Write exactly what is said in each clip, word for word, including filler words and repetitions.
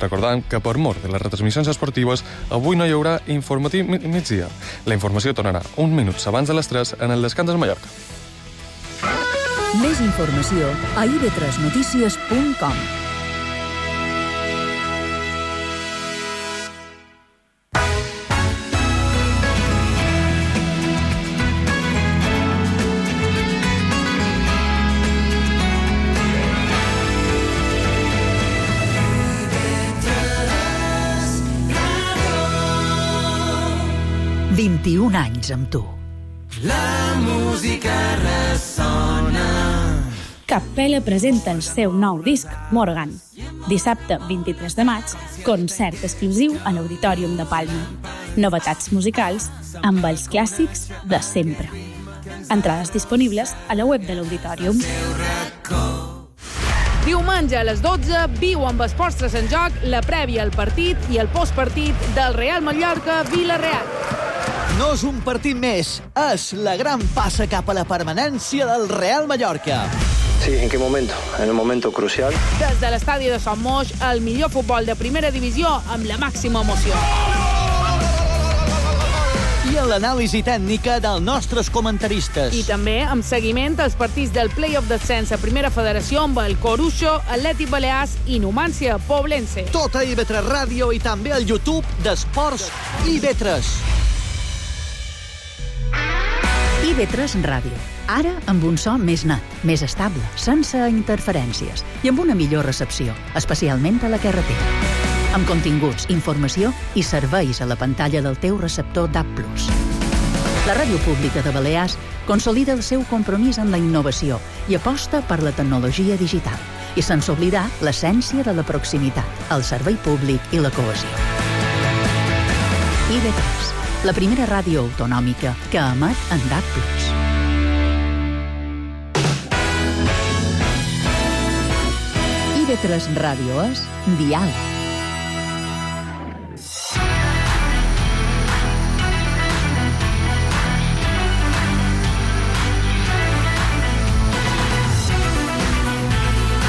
Recordant que per mort de les retransmissions esportives avui no hi haurà informatiu migdia. La informació tornarà uns minuts abans de les tres en el Descans del Mallorca. Més informació a i ve tres notícies punt com. vint-i-un anys amb tu. La música ressona. Capella presenta el seu nou disc, Morgan. Dissabte vint-i-tres de maig, concert exclusiu a l'Auditorium de Palma. Novetats musicals amb els clàssics de sempre. Entrades disponibles a la web de l'Auditorium. Diumenge a les dotze, viu amb Esports en Joc la prèvia al partit i el postpartit del Real Mallorca-Vila-real. No és un partit més, és la gran passa cap a la permanència del Real Mallorca. Sí, ¿en qué momento? En un momento crucial. Des de l'estadi de Son Moix, el millor futbol de primera divisió amb la màxima emoció. I a l'anàlisi tècnica dels nostres comentaristes. I també amb seguiment als partits del Play-off d'ascens a Primera Federació amb el Coruxo, Atlètic Balears i Numància Poblense. Tot a i ve tres Ràdio i també al YouTube d'Esports i ve tres. i ve tres Ràdio. Ara amb un so més net, més estable, sense interferències i amb una millor recepció, especialment a la carretera. Amb continguts, informació i serveis a la pantalla del teu receptor D A B plus. La Ràdio Pública de Balears consolida el seu compromís amb la innovació i aposta per la tecnologia digital i sense oblidar l'essència de la proximitat, el servei públic i la cohesió. i ve tres, la primera ràdio autonòmica que emet en D A B plus. i ve tres Ràdio és diàleg.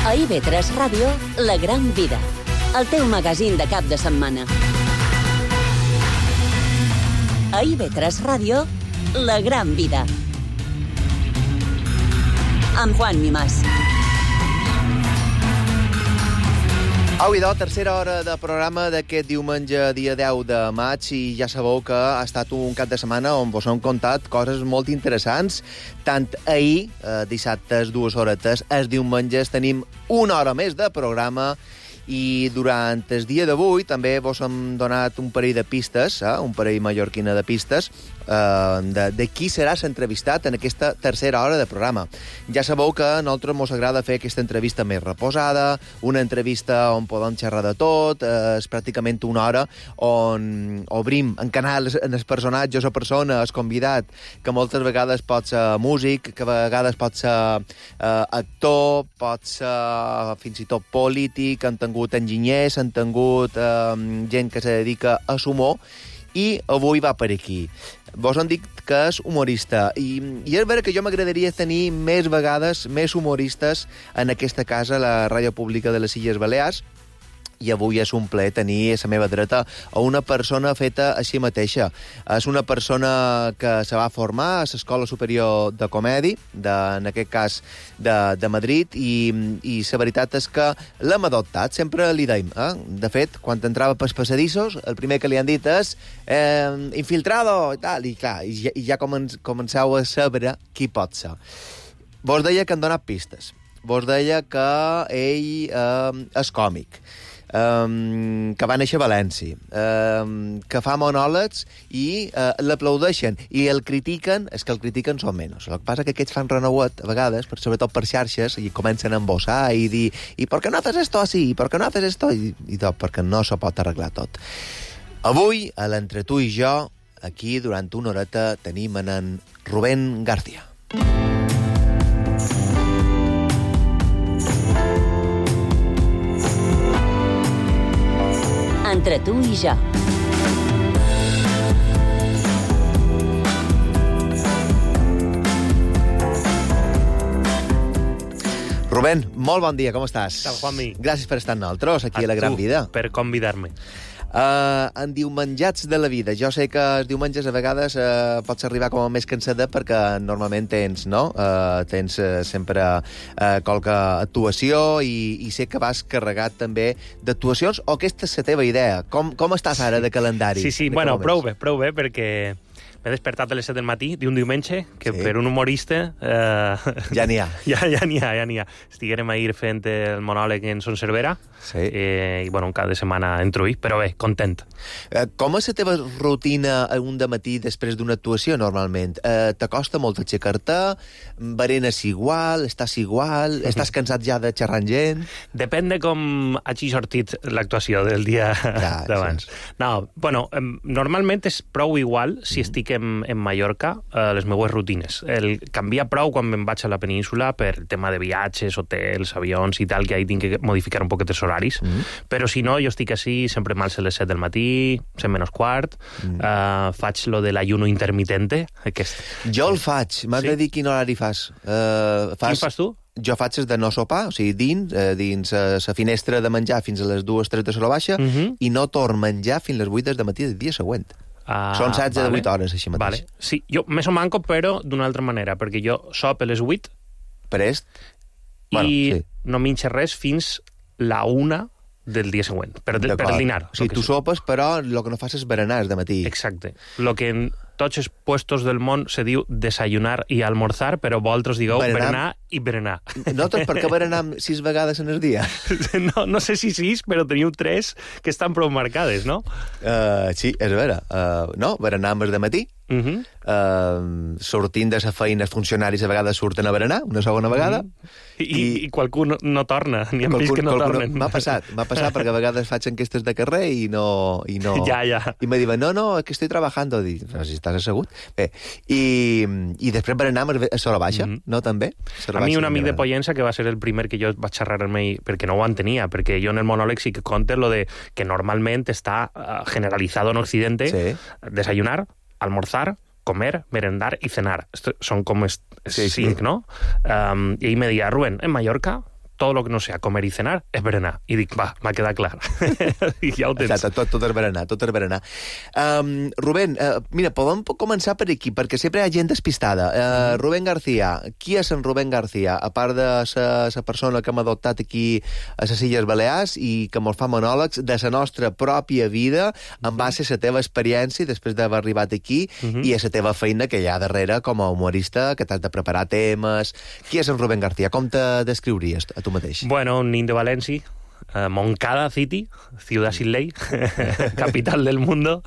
A i ve tres Ràdio, La Gran Vida, el teu magazín de cap de setmana. A i ve tres Ràdio, La Gran Vida. Amb Juan Mimàs. Au, idò, tercera hora de programa d'aquest diumenge, dia deu de maig, i ja sabeu que ha estat un cap de setmana on vos hem contat coses molt interessants. Tant ahir, eh, dissabtes, dues horetes, els diumenges tenim una hora més de programa, i durant el dia d'avui també vos hem donat un parell de pistes, eh, un parell mallorquina de pistes, eh, de, de qui serà s'entrevistat en aquesta tercera hora de programa. Ja sabeu que a nosaltres mos agrada fer aquesta entrevista més reposada, una entrevista on podem xerrar de tot, eh, és pràcticament una hora on obrim en canal en els personatges o persona, el convidat, que moltes vegades pot ser músic, que a vegades pot ser eh, actor, pot ser fins i tot polític, han tingut enginyers, han tingut eh, gent que se dedica a l'humor, i avui va per aquí. Vos han dit que és humorista, i, i és vera que jo m'agradaria tenir més vegades, més humoristes en aquesta casa, la Ràdio Pública de les Illes Balears, i avui és un plaer tenir a la meva dreta a una persona feta a si mateixa. És una persona que se va formar a l'Escola Superior de Comèdia, de, en aquest cas de, de Madrid, i, i la veritat és que l'hem adoptat, sempre li deim. Eh? De fet, quan entrava pels passadissos, el primer que li han dit és eh, infiltrado, i tal, i clar, i ja, i ja comen, comenceu a saber qui pot ser. Vos deia que han donat pistes. Vos deia que ell eh, és còmic, Um, que va néixer a València, um, que fa monòlegs i uh, l'aplaudeixen i el critiquen, és que el critiquen són menys. El que passa que aquests fan renouet a vegades, per, sobretot per xarxes, i comencen a embossar i dir, i per què no haces esto así, i per què no haces esto, i, i tot, perquè no se pot arreglar tot. Avui, a l'Entre tu i jo, aquí, durant una horeta, tenim en Rubén García. Entre tu i jo. Rubén, molt bon dia, com estàs? Tal, Juanmi. Gràcies per estar amb nosaltres aquí a, a La Gran tu, Vida. per convidar-me. Uh, en diumenjats de la vida. Jo sé que els diumenges a vegades uh, pots arribar com a més cansada perquè normalment tens, no? Uh, tens uh, sempre uh, qualque actuació i, i sé que vas carregat també d'actuacions, o aquesta és la teva idea. Com, com estàs ara de calendari? Sí, sí, de bueno, prou bé, prou bé, perquè m'he despertat a les set del matí d'un diumenge que sí. per un humorista... Eh, ja n'hi ha. Ja ja n'hi ha, ja n'hi ha. Estiguérem ahir fent el monòleg en Son Cervera sí. eh, i, bueno, un cap de setmana entro hi, però bé, content. Eh, com és la teva rutina un dematí després d'una actuació, normalment? Eh, T'acosta molt aixecar-te? Berenes igual? Estàs igual? Estàs cansat ja de xerrar amb gent? Depèn de com hagi sortit l'actuació del dia ja, d'abans. Sí. No, bueno, normalment és prou igual si mm. estic en, en Mallorca, eh, les meues rutines. El canvia prou quan me'n vaig a la península per tema de viatges, hotels, avions i tal, que ahí tinc que modificar un poquet els horaris. Mm. Però si no, jo estic així, sempre m'alço a les set del matí, set menys quart, mm. eh, faig lo de l'ayuno intermitente. Aquest. Jo el faig. M'has sí? de dir quin horari fas. Uh, fas... Quin fas tu? Jo faig de no sopar, o sigui, dins, eh, dins la eh, finestra de menjar fins a les dues, tres de la baixa, mm -hmm. i no torn menjar fins a les vuit del matí del dia següent. Ah, Són setze vale. de vuit hores, així mateix. Vale. Sí, jo més o manco, però d'una altra manera, perquè jo sop a les vuit Prest. i bueno, sí. no minxo res fins la una del dia següent, per, per el dinar. O sigui, tu sopes, però el que no fas és berenar de matí. Exacte. Lo que en tots els puestos del món se diu desayunar i almorzar, però vosaltres digueu berenar, berenar i berenar. No tot perquè berenar sis vegades en el dia. No, no sé si sis, però teniu tres que estan prou marcades, no? Uh, sí, és vera. Uh, no, berenar amb el de matí. Uh -huh. uh, sortint de la feina, els funcionaris a vegades surten a berenar, una segona vegada. Uh -huh. I, I, I qualcú no, no torna, ni hem vist que no tornen. M'ha passat, m'ha passat, perquè a vegades faig enquestes de carrer i no... I no ja, ja. I me diuen, no, no, que estoy trabajando. Dic, però si estàs assegut. Bé, i, i després berenar a Sola Baixa, uh -huh. no, també? A mi un amic de Pollença, que va ser el primer que jo vaig xerrar amb ell, perquè no ho entenia, perquè jo en el monòleg sí que conte lo de que normalment està generalizado en Occidente sí. desayunar, almorzar, comer, merendar y cenar. Esto son como est- sí, cinc, sí. ¿no? Um, y ahí me decía, Rubén, en Mallorca todo lo que no sea comer i cenar és berenar. I dic, va, m'ha quedat clar. I ja ho tens. Exacte, tot, tot és berenar, tot és berenar. Um, Rubén, uh, mira, podem començar per aquí, perquè sempre hi ha gent despistada. Uh, Rubén García, qui és en Rubén García? A part de la persona que hem adoptat aquí a les Illes Balears i que mos fa monòlegs de la nostra pròpia vida en base a la teva experiència després d'haver arribat aquí uh -huh. i a la teva feina que hi ha darrere com a humorista, que t'has de preparar temes. Qui és en Rubén García? Com te descriuries a tu mateix? Bueno, un nin de València, uh, Moncada City, ciudad sin ley, capital del mundo,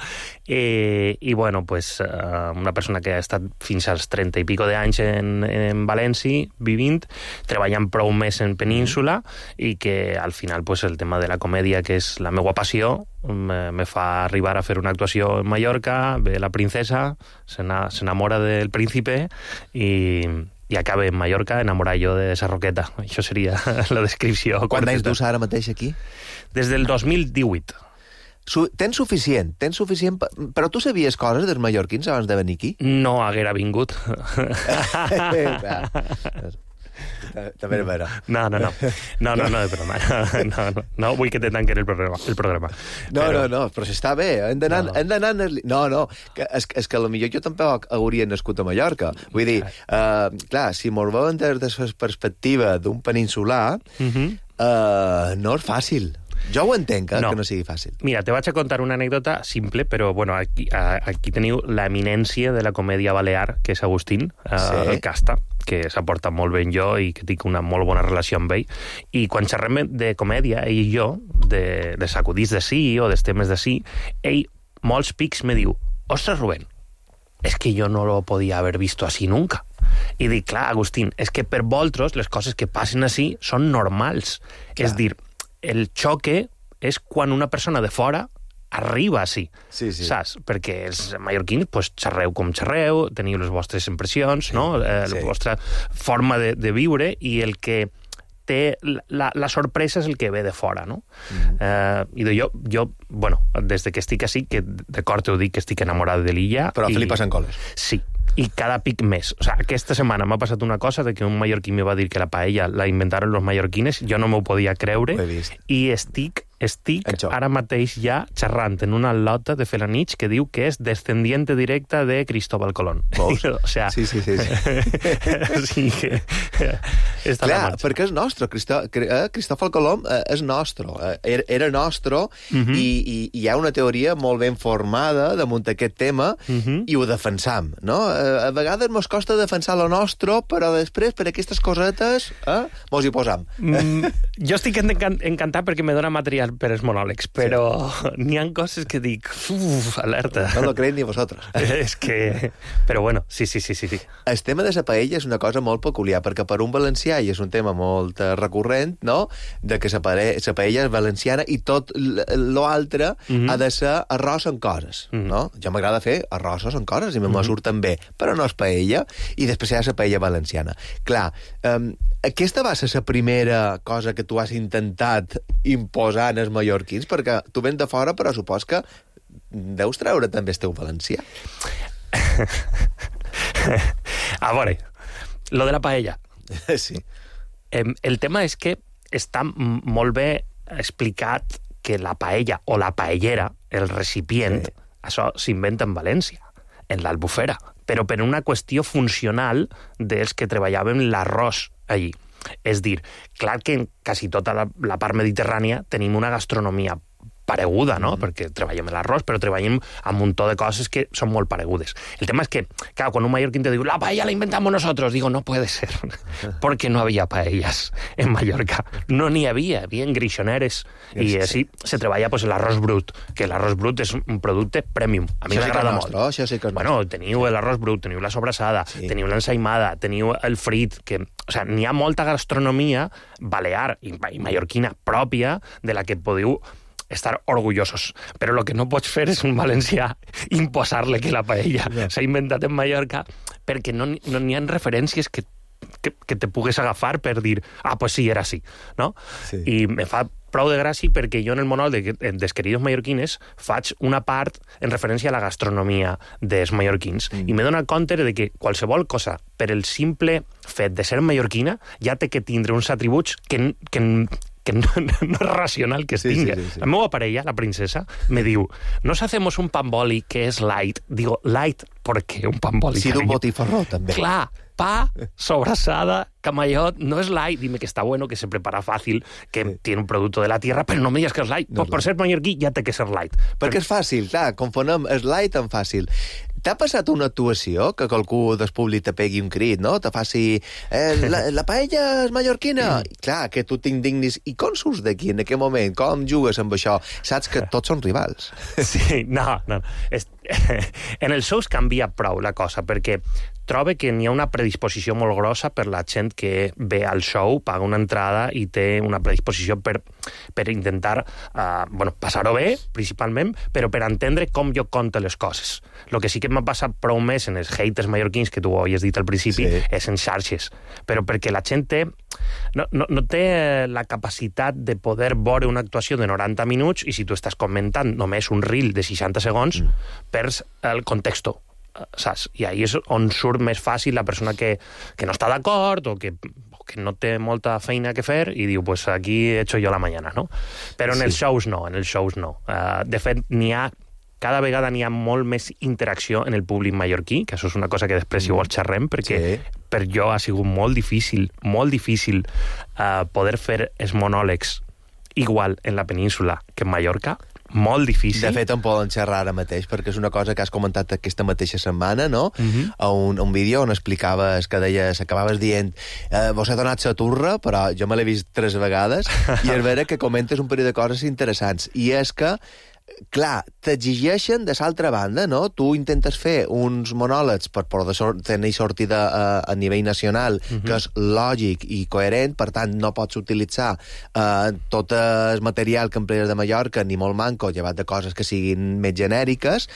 eh, i bueno, pues uh, una persona que ha estat fins als trenta i pico d'anys en, en València, vivint, treballant prou més en península, i que al final pues, el tema de la comèdia, que és la meva passió, me, me fa arribar a fer una actuació en Mallorca, ve la princesa, s'enamora del príncipe, i... i acabe en Mallorca enamorat jo de esa roqueta. Això seria la descripció. Quan anys dus ara mateix aquí? Des del dos mil divuit. Su tens suficient, tens suficient... Però tu sabies coses dels mallorquins abans de venir aquí? No haguera vingut. També és vera. No, no, no. No, no, no, de broma. No, no, no vull que te tanquen el programa. El programa. No, però... no, no, però si està bé. Hem d'anar... No, no. no, no que, és, és que potser jo tampoc hauria nascut a Mallorca. Vull dir, uh, clar, si mos veuen des de la perspectiva d'un peninsular, uh -huh. uh, no és fàcil. Jo ho entenc, eh, no. que no sigui fàcil. Mira, te vaig a contar una anècdota simple, però bueno, aquí, aquí teniu la eminència de la comèdia balear, que és Agustín, eh, sí. el Casta, que s'ha portat molt bé amb jo i que tinc una molt bona relació amb ell. I quan xerrem de comèdia, ell i jo, de, de sacudits de sí o dels temes de sí, ell, molts pics, me diu, ostres, Rubén, és que jo no lo podia haver visto así nunca. I dic, clar, Agustín, és que per vosaltres les coses que passen així són normals. Clar. És dir, el xoque és quan una persona de fora arriba així, sí, sí. saps? Perquè els mallorquins pues, xerreu com xerreu, teniu les vostres impressions, sí, no? eh, sí. La vostra forma de, de viure, i el que té la, la sorpresa és el que ve de fora, no? Mm. Eh, I jo, jo, bueno, des de que estic així, que d'acord t'ho dic que estic enamorat de l'illa... Però a i... Felipa Sancoles. Sí. i cada pic més. O sea, aquesta setmana m'ha passat una cosa de que un mallorquí me va dir que la paella la inventaron los mallorquines, jo no m'ho podia creure, i estic estic ara mateix ja xerrant en una lota de Felanich que diu que és descendiente directa de Cristóbal Colón. O sea, sí, sí, sí. sí que... Clar, perquè és nostre. Cristó... Cristóbal Colón és nostre. Era, era nostre uh -huh. i, i hi ha una teoria molt ben formada damunt aquest tema uh -huh. i ho defensam, no? A vegades mos costa defensar lo nostre, però després, per aquestes cosetes, eh, mos hi posam. Mm, jo estic encantat perquè me dona material per els monòlegs, però sí. n'hi ha coses que dic, uf, alerta. No lo creéis ni vosotros. És que... Però bueno, sí, sí, sí, sí. El tema de la paella és una cosa molt peculiar, perquè per un valencià, i és un tema molt recurrent, no?, de que la paella és valenciana i tot l'altre uh -huh. ha de ser arròs amb coses, uh -huh. no? Jo m'agrada fer arrossos amb coses i me uh -huh. surten bé, però no és paella, i després hi ha la paella valenciana. Clar, um, aquesta va ser la primera cosa que tu has intentat imposar en els mallorquins, perquè tu vens de fora, però supos que deus treure també el teu valencià. A veure, lo de la paella. Sí. El tema és que està molt bé explicat que la paella o la paellera, el recipient, sí. això s'inventa en València, en l'Albufera, però per una qüestió funcional dels que treballàvem l'arròs allí. És dir, clar que en quasi tota la, la part mediterrània tenim una gastronomia pareguda, no? Mm. Perquè treballem l'arròs, però treballem amb un to de coses que són molt paregudes. El tema és que, claro, quan un mallorquín te diu la paella la inventamos nosotros, digo, no puede ser, porque no había paellas en Mallorca. No n'hi havia, havia grixoneres, i així se treballa pues, l'arròs brut, que l'arròs brut és un producte premium. A mi m'agrada molt. Això sí que és bueno, teniu l'arròs brut, teniu la sobrassada, sí. teniu l'ensaïmada, teniu el frit, que... O sea, n'hi ha molta gastronomia balear i, i mallorquina pròpia de la que podeu estar orgullosos. Però el que no pots fer és un valencià imposar-le que la paella yeah. s'ha inventat en Mallorca perquè no n'hi no ha referències que, que, que te pugues agafar per dir, ah, pues sí, era així, no? Sí. I me fa prou de gràcia perquè jo en el monòleg de, dels queridos mallorquines faig una part en referència a la gastronomia dels mallorquins mm. i me dona compte de que qualsevol cosa per el simple fet de ser mallorquina ja té que tindre uns atributs que, que, que no, no és racional que es sí, tinga. Sí, sí, sí. La meva parella, la princesa, me diu, nos hacemos un pan boli que es light. Digo, light, ¿por qué un pan boli? Sí, d'un botifarró, també. Clar, pa, sobrassada, camallot, no es light. Dime que está bueno, que se prepara fácil, que sí. tiene un producto de la tierra, però no me digas que és light. No pues és per light. Ser mallorquí ja té que ser light. Perquè però... és fàcil, clar, confonem és light amb fàcil. T'ha passat una actuació que qualcú del públic te pegui un crit, no? Te faci... Eh, la, la paella és mallorquina. Mm. Clar, que tu t'indignis. I com surts d'aquí en aquest moment? Com jugues amb això? Saps que tots són rivals. Sí, no, no. Es... En els shows canvia prou la cosa, perquè trobo que n'hi ha una predisposició molt grossa per la gent que ve al show, paga una entrada i té una predisposició per, per intentar uh, bueno, passar-ho bé, principalment, però per entendre com jo conto les coses. El que sí que m'ha passat prou més en els haters mallorquins, que tu ho havies dit al principi, sí. és en xarxes. Però perquè la gent té, no, no, no té la capacitat de poder veure una actuació de noranta minuts i si tu estàs comentant només un reel de seixanta segons, mm. perds el context, saps? I ahí és on surt més fàcil la persona que, que no està d'acord o que, o que no té molta feina que fer i diu, pues aquí he hecho yo la mañana, no? Però en sí. els shows no, en els shows no. Uh, de fet, n'hi ha cada vegada n'hi ha molt més interacció en el públic mallorquí, que això és una cosa que després si vols xerrem, perquè sí. per jo ha sigut molt difícil, molt difícil uh, poder fer els monòlegs igual en la península que en Mallorca, molt difícil. De fet, en poden xerrar ara mateix, perquè és una cosa que has comentat aquesta mateixa setmana, no? Uh-huh. A un, un vídeo on explicaves, que deies, acabaves dient, eh, vos he donat la turra, però jo me l'he vist tres vegades, i és vera que comentes un parell de coses interessants, i és que clar, t'exigeixen de l'altra banda, no? Tu intentes fer uns monòlegs per poder sort, tenir sortida a, a nivell nacional, uh-huh. que és lògic i coherent, per tant, no pots utilitzar eh, tot el material que emplees de Mallorca, ni molt manco, llevat de coses que siguin més genèriques,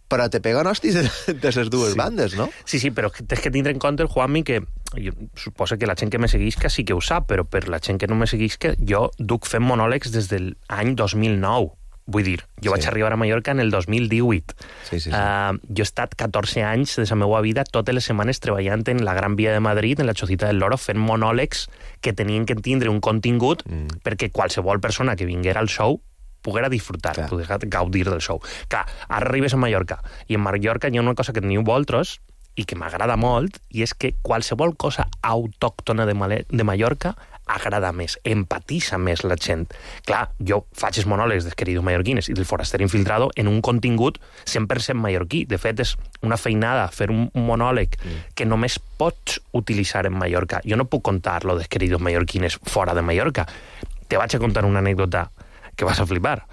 però te peguen hòsties de, de les dues sí. bandes, no? Sí, sí, però tens que tindre en compte, el Juanmi, que jo suposo que la gent que me segueix que sí que ho sap, però per la gent que no me segueix que jo duc fent monòlegs des de l'any dos mil nou. Vull dir, jo Sí. vaig arribar a Mallorca en el dos mil divuit. Sí, sí, sí. Uh, jo he estat catorze anys de la meva vida totes les setmanes treballant en la Gran Via de Madrid, en la Chocita del Loro, fent monòlegs que tenien que tindre un contingut mm. perquè qualsevol persona que vinguera al show poguera disfrutar, Clar. poguera gaudir del show. Clar, ara arribes a Mallorca, i en Mallorca hi ha una cosa que teniu vosaltres i que m'agrada molt, i és que qualsevol cosa autòctona de, Mal de Mallorca agrada més, empatitza més la gent. Clar, jo faig els monòlegs dels queridos mallorquines i del foraster infiltrado en un contingut cent per cent mallorquí. De fet, és una feinada fer un, un monòleg mm. que només pots utilitzar en Mallorca. Jo no puc contar lo dels queridos mallorquines fora de Mallorca. Te vaig a contar una anècdota que vas a flipar.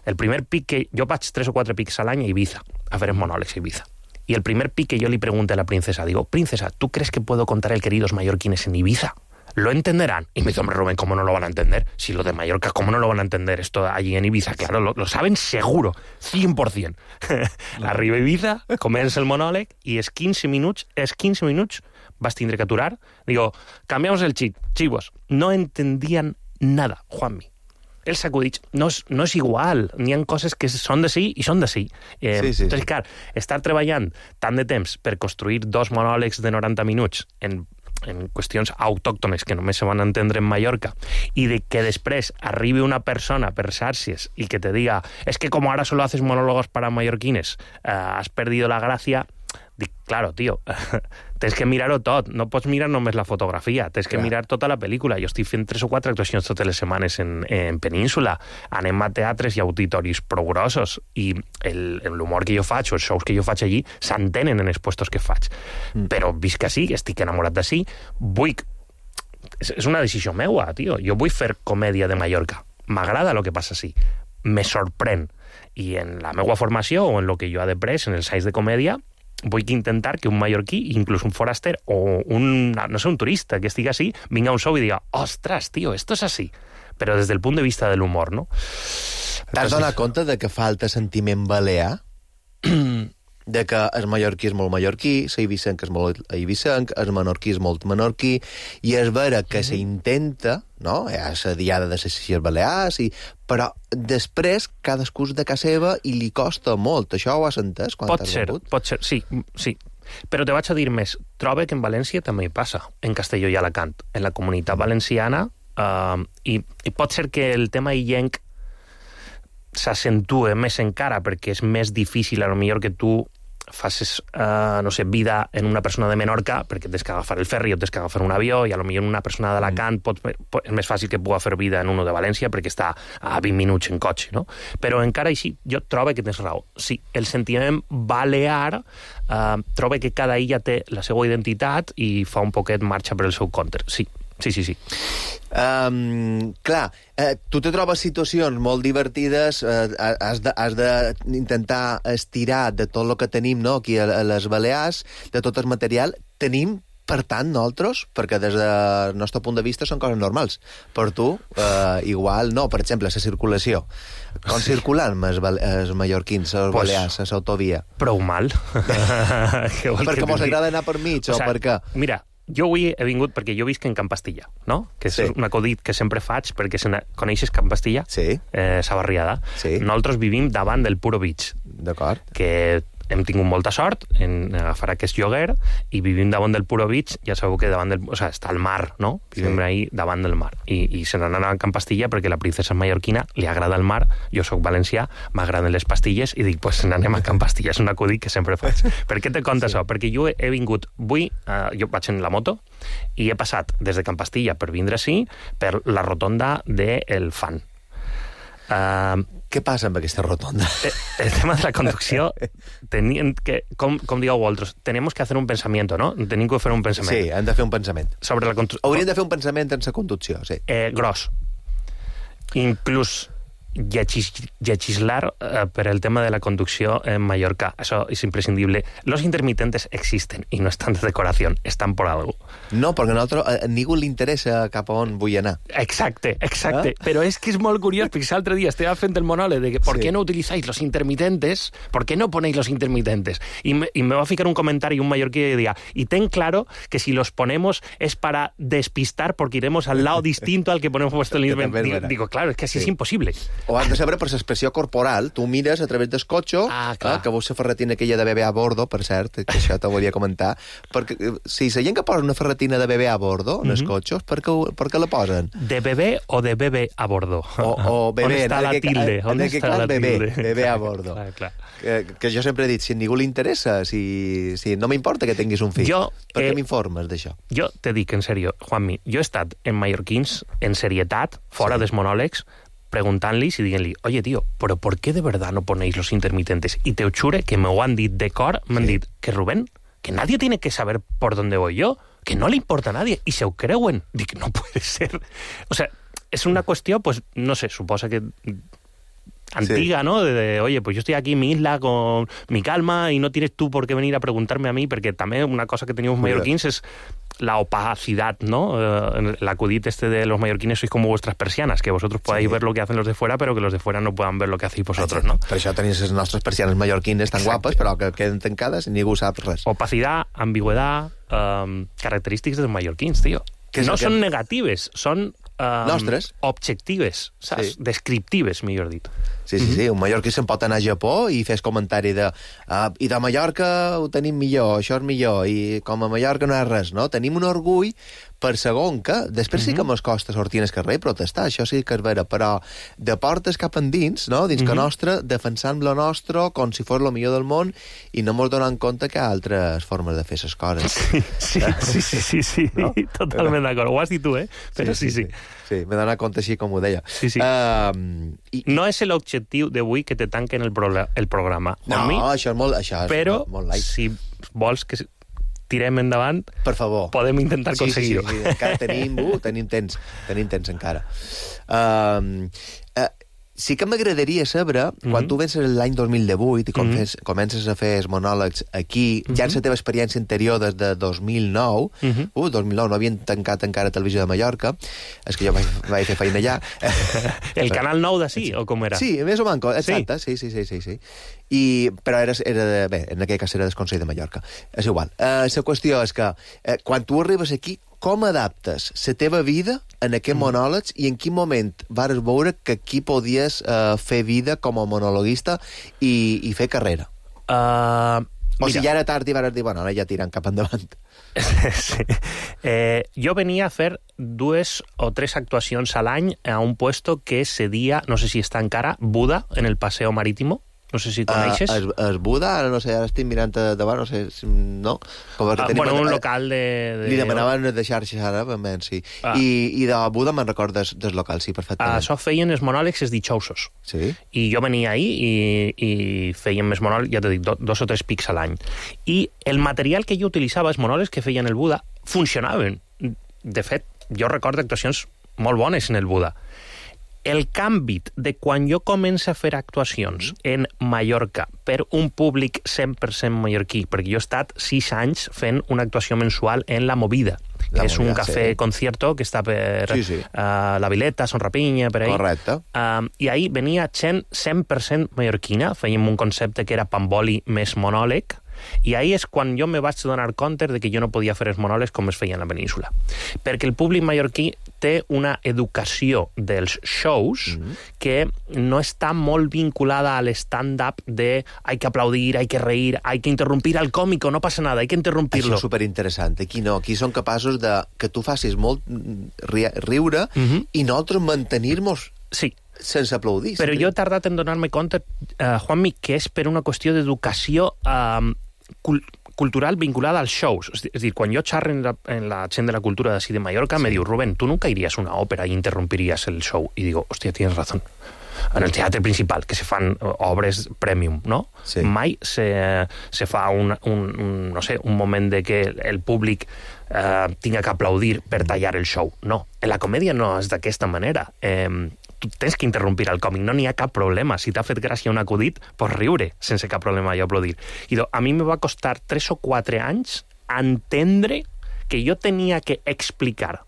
El primer pic que... Jo vaig tres o quatre pics a l'any a Ibiza, a fer els monòlegs a Ibiza. Y el primer pic que yo le pregunté a la princesa, digo, princesa, ¿tú crees que puedo contar el queridos mallorquines en Ibiza? ¿Lo entenderán? Y me dice, hombre, Rubén, ¿cómo no lo van a entender? Si lo de Mallorca, ¿cómo no lo van a entender esto allí en Ibiza? Claro, lo, lo saben seguro, cien por cien. Arriba a Ibiza, comença el monòleg, i és quinze minuts, és quinze minuts, vas tindre que aturar. Digo, cambiamos el chip, chivos. No entendían nada, Juanmi. Els acudits no és, no és igual, n'hi ha coses que són de sí i són de sí. Eh, sí, sí, entonces, sí. clar, estar treballant tant de temps per construir dos monòlegs de noranta minuts en, en qüestions autòctones que només se van entendre en Mallorca, i de que després arribi una persona per xarxes i que te diga, es que como ahora solo haces monólogos para mallorquines, eh, has perdido la gracia. Dic, claro, tio, tens que mirar-ho tot, no pots mirar només la fotografia, tens que Clar. mirar tota la pel·lícula. Jo estic fent tres o quatre actuacions totes les setmanes en, en Península, anem a teatres i auditoris prou grossos, i l'humor que jo faig, o els shows que jo faig allí, s'entenen en els puestos que faig. Mm. Però visc així, estic enamorat d'ací, vull... És, és una decisió meua, tio. Jo vull fer comèdia de Mallorca. M'agrada el que passa així. Me sorprèn. I en la meva formació, o en el que jo he après, en els anys de comèdia, vull intentar que un mallorquí, inclús un foraster o un, no sé, un turista que estigui així, vinga a un show i diga, ostres, tio, esto es así. Però des del punt de vista de l'humor, no? T'has donat compte de que falta sentiment balear? De que el mallorquí és molt mallorquí, l'eivissenc és molt eivissenc, el menorquí és molt menorquí, i és vera que mm-hmm. s'intenta, no? Hi ha la diada de les Illes Balears, i... però després cadascú és de casa seva i li costa molt. Això ho has entès quan pot t'has ser, rebut? pot ser, sí, sí. Però te vaig a dir més. Trobo que en València també hi passa, en Castelló i Alacant, en la comunitat valenciana, uh, i, i pot ser que el tema illenc s'accentue més encara, perquè és més difícil, a lo millor, que tu facis, uh, no sé, vida en una persona de Menorca, perquè tens que agafar el ferri o tens que agafar un avió, i a lo millor una persona d'Alacant pot, pot, és més fàcil que pugui fer vida en uno de València perquè està a vint minuts en cotxe, no? Però encara així, jo trobo que tens raó. Sí, el sentiment balear uh, trobo que cada illa té la seva identitat i fa un poquet marxa per el seu compte. Sí, sí, sí, sí. Um, clar, eh, tu te trobes situacions molt divertides, eh, has d'intentar estirar de tot el que tenim, no?, aquí a, a les Balears, de tot el material. Tenim, per tant, nosaltres, perquè des del nostre punt de vista són coses normals. Per tu, eh, igual no. Per exemple, la circulació. Com sí. circulen els, els mallorquins, els pues, balears, a l'autovia? Prou mal. Perquè mos agrada anar per mig, o, o per què? Mira, jo avui he vingut perquè jo visc en Can Pastilla, no? Que és sí. un acudit que sempre faig, perquè se coneixes Can Pastilla? Sí. Eh, sa barriada. Sí. Nosaltres vivim davant del Puro Beach. D'acord. Que hem tingut molta sort en agafar aquest lloguer i vivim davant del Puro Beach, ja sabeu que davant del... O sigui, està al mar, no? Vivim sí. ahí davant del mar. I, i se n'han anat a Can Pastilla perquè la princesa mallorquina li agrada el mar, jo sóc valencià, m'agraden les pastilles, i dic, pues n'anem a Can Pastilla. És un acudit que sempre faig. Per què te conta sí. això? Perquè jo he vingut... Avui, uh, jo vaig en la moto, i he passat des de Can Pastilla per vindre així, per la rotonda del Fan. Uh, Què passa amb aquesta rotonda? El tema de la conducció, tenien que, com, com digueu vosaltres, tenim que fer un pensament, no? Tenim que fer un pensament. Sí, hem de fer un pensament. Sobre la conducció. Hauríem de fer un pensament en la conducció, sí. Eh, gros. Inclús llegis, legislar eh, per el tema de la conducció en Mallorca. Això és imprescindible. Los intermitentes existen i no estan de decoració, estan por algo. No, perquè a nosaltres a ningú li interessa cap a on vull anar. Exacte, exacte. ¿Eh? Però és que és molt curiós, perquè l'altre dia estava fent el monòleg de que ¿por sí. qué no utilizáis los intermitentes? ¿Por qué no ponéis los intermitentes? Y me, y me va a ficar un comentario un mallorquí que decía, y ten claro que si los ponemos es para despistar porque iremos al lado distinto al que ponemos puesto el intermitente. Digo, digo, claro, es que así sí. es imposible. ho has de saber per l'expressió corporal. Tu mires a través del cotxe, ah, eh, que veus la ferretina aquella de bebè a bordo, per cert, que això t'ho volia comentar, perquè si la gent que posa una ferretina de bebè a bordo en els mm -hmm. cotxes, per què, per què la posen? ¿De bebé o de bebé a bordo? O, o bebé, on està la tilde? En aquest cas, bebé, bebé a bordo. Clar, clar. Que, que jo sempre he dit, si a ningú li interessa, si, si no m'importa que tinguis un fill, jo, per què eh, m'informes d'això? Jo te dic en sèrio, Juanmi, jo he estat en mallorquins, en serietat, fora sí. dels monòlegs, preguntant-los y dient-li, oye, tío, ¿pero por qué de verdad no ponéis los intermitentes? Y te ho jure que me ho han dit de cor, m'han sí. dit que Rubén, que nadie tiene que saber por dónde voy yo, que no le importa a nadie, y se ho creuen. Dic, no puede ser. O sea, es una cuestión, pues, no sé, suposa que antiga, sí. ¿no? De, de, oye, pues yo estoy aquí en mi isla con mi calma y no tienes tú por qué venir a preguntarme a mí, porque también una cosa que teníamos mallorquins es la opacidad, ¿no? Uh, el acudit este de los mallorquines sois como vuestras persianas, que vosotros podáis sí. ver lo que hacen los de fuera, pero que los de fuera no puedan ver lo que hacéis vosotros, ¿no? Per això tenéis les nostres persianes mallorquines tan Exacte. guapes, però que queden tancades i ningú sap res. Opacidad, ambigüedad, um, característiques dels mallorquins, tío. Que no són que... negatives, són um, nostres. Objectives, saps? Sí. Descriptives, millor dit. Sí, sí, sí. Un mallorquí se'n pot anar a Japó i fes comentari de uh, i de Mallorca ho tenim millor, això és millor, i com a Mallorca no és res, no? Tenim un orgull per segon que, després sí que mos costa sortir al carrer i protestar, això sí que és vera, però de portes cap endins, no? Dins que nostre, defensant lo nostre com si fos lo millor del món i no mos donant compte que hi ha altres formes de fer les coses. Sí, sí, sí, sí, sí, sí. ¿No? Totalment d'acord. Ho has dit tu, eh? Però sí, sí. Sí, sí. sí m'he d'anar compte així com ho deia. Sí, sí. Uh, i... No és l'objectiu d'avui que te tanquen el, pro el programa. No, mi, això és molt, això és però molt, molt light. Si vols que tirem endavant, per favor, podem intentar sí, aconseguir-ho. Sí, sí, sí, encara tenim, uh, tenim temps, tenim temps encara. Uh, uh, sí que m'agradaria saber, mm -hmm. quan tu vens l'any dos mil divuit i com mm -hmm. fes, comences a fer els monòlegs aquí, mm -hmm. ja en la teva experiència anterior des de dos mil nou, mm -hmm. uh, dos mil nou no havien tancat encara Televisió de Mallorca, és que jo vaig, vaig fer feina allà. El Canal nou d'ací, o com era? Sí, més o manco, exacte, sí, sí, sí, sí, sí. I, però era, era de, bé, en aquell cas era del Consell de Mallorca. És igual. Uh, la qüestió és que eh, quan tu arribes aquí, com adaptes la teva vida en aquest mm. monòlegs i en quin moment vares veure que aquí podies uh, fer vida com a monologuista i, i fer carrera? Uh, o mira. si ja era tard i vares dir, bueno, ara ja tirant cap endavant. Sí. Eh, jo venia a fer dues o tres actuacions a l'any a un puesto que cedia, no sé si està encara, Buda, en el Paseo Marítimo. No sé si coneixes. Uh, es, es Buda, ara no sé, ara estic mirant davant, no sé, si, no? Com uh, bueno, un local de... de... Li demanaven de xarxes ara, ben, sí. Ah. I, I de Buda me'n recordes del local, sí, perfectament. Això feien els monòlegs els dijousos. Sí. I jo venia ahí i, i feien més monòlegs, ja t'he dit, do, dos o tres pics a l'any. I el material que jo utilitzava, els monòlegs que feien el Buda, funcionaven. De fet, jo recordo actuacions molt bones en el Buda. El canvi de quan jo començo a fer actuacions en Mallorca per un públic cent per cent mallorquí, perquè jo he estat sis anys fent una actuació mensual en La Movida, que la és movida, un cafè sí. concierto que està per sí, sí. Uh, La Vileta, Son Rapinya, per ahí. Correcte. Uh, I ahí venia gent cent per cent mallorquina, fèiem un concepte que era pamboli més monòleg, i ahí és quan jo me vaig donar compte de que jo no podia fer els monòlegs com es feia en la península. Perquè el públic mallorquí té una educació dels shows mm -hmm. que no està molt vinculada al stand-up de hay que aplaudir, hay que reír, hay que interrumpir al còmico, no passa nada, hay que interrumpirlo. Això és superinteressant. Aquí no, aquí són capaços de que tu facis molt ri riure mm -hmm. i nosaltres mantenir-nos sí. sense aplaudir. Però jo he tardat en donar-me compte, uh, Juanmi, que és per una qüestió d'educació uh, cul cultural vinculada als shows. És, és dir, quan jo xerro en la, en la gent de la cultura d'ací de Mallorca, sí. me diu, Rubén, tu nunca irías a una òpera i interrompirías el show. I digo, hòstia, tienes razón. En el teatre principal, que se fan obres premium, no? Sí. Mai se, se fa un, un, un, no sé, un moment de que el públic eh, tinga que aplaudir per tallar el show. No, en la comèdia no és d'aquesta manera. Eh, tu tens que interrompir el còmic, no n'hi ha cap problema. Si t'ha fet gràcia un acudit, pots riure sense cap problema i aplaudir. I a mi me va costar tres o quatre anys entendre que jo tenia que explicar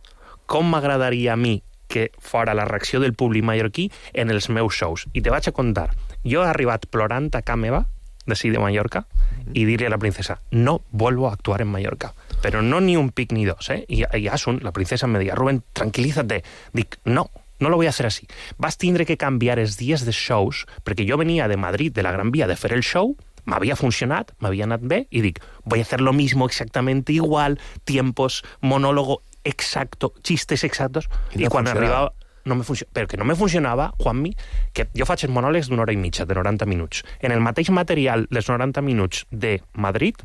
com m'agradaria a mi que fora la reacció del públic mallorquí en els meus shows. I te vaig a contar, jo he arribat plorant a casa meva, d'ací de Mallorca, i dir-li a la princesa, no vuelvo a actuar en Mallorca. Però no ni un pic ni dos, eh? I, i Asun, la princesa, me deia, Rubén, tranquilízate. Dic, no, no lo voy a hacer así. Vas tindre que canviar els dies de shows, perquè jo venia de Madrid, de la Gran Vía, de fer el show, m'havia funcionat, m'havia anat bé, i dic, voy a hacer lo mismo exactamente igual, tiempos, monólogo exacto, chistes exactos, i, no i quan arribava... No me func... Però que no me funcionava, Juanmi, que jo faig els monòlegs d'una hora i mitja, de noranta minuts. En el mateix material, les noranta minuts de Madrid,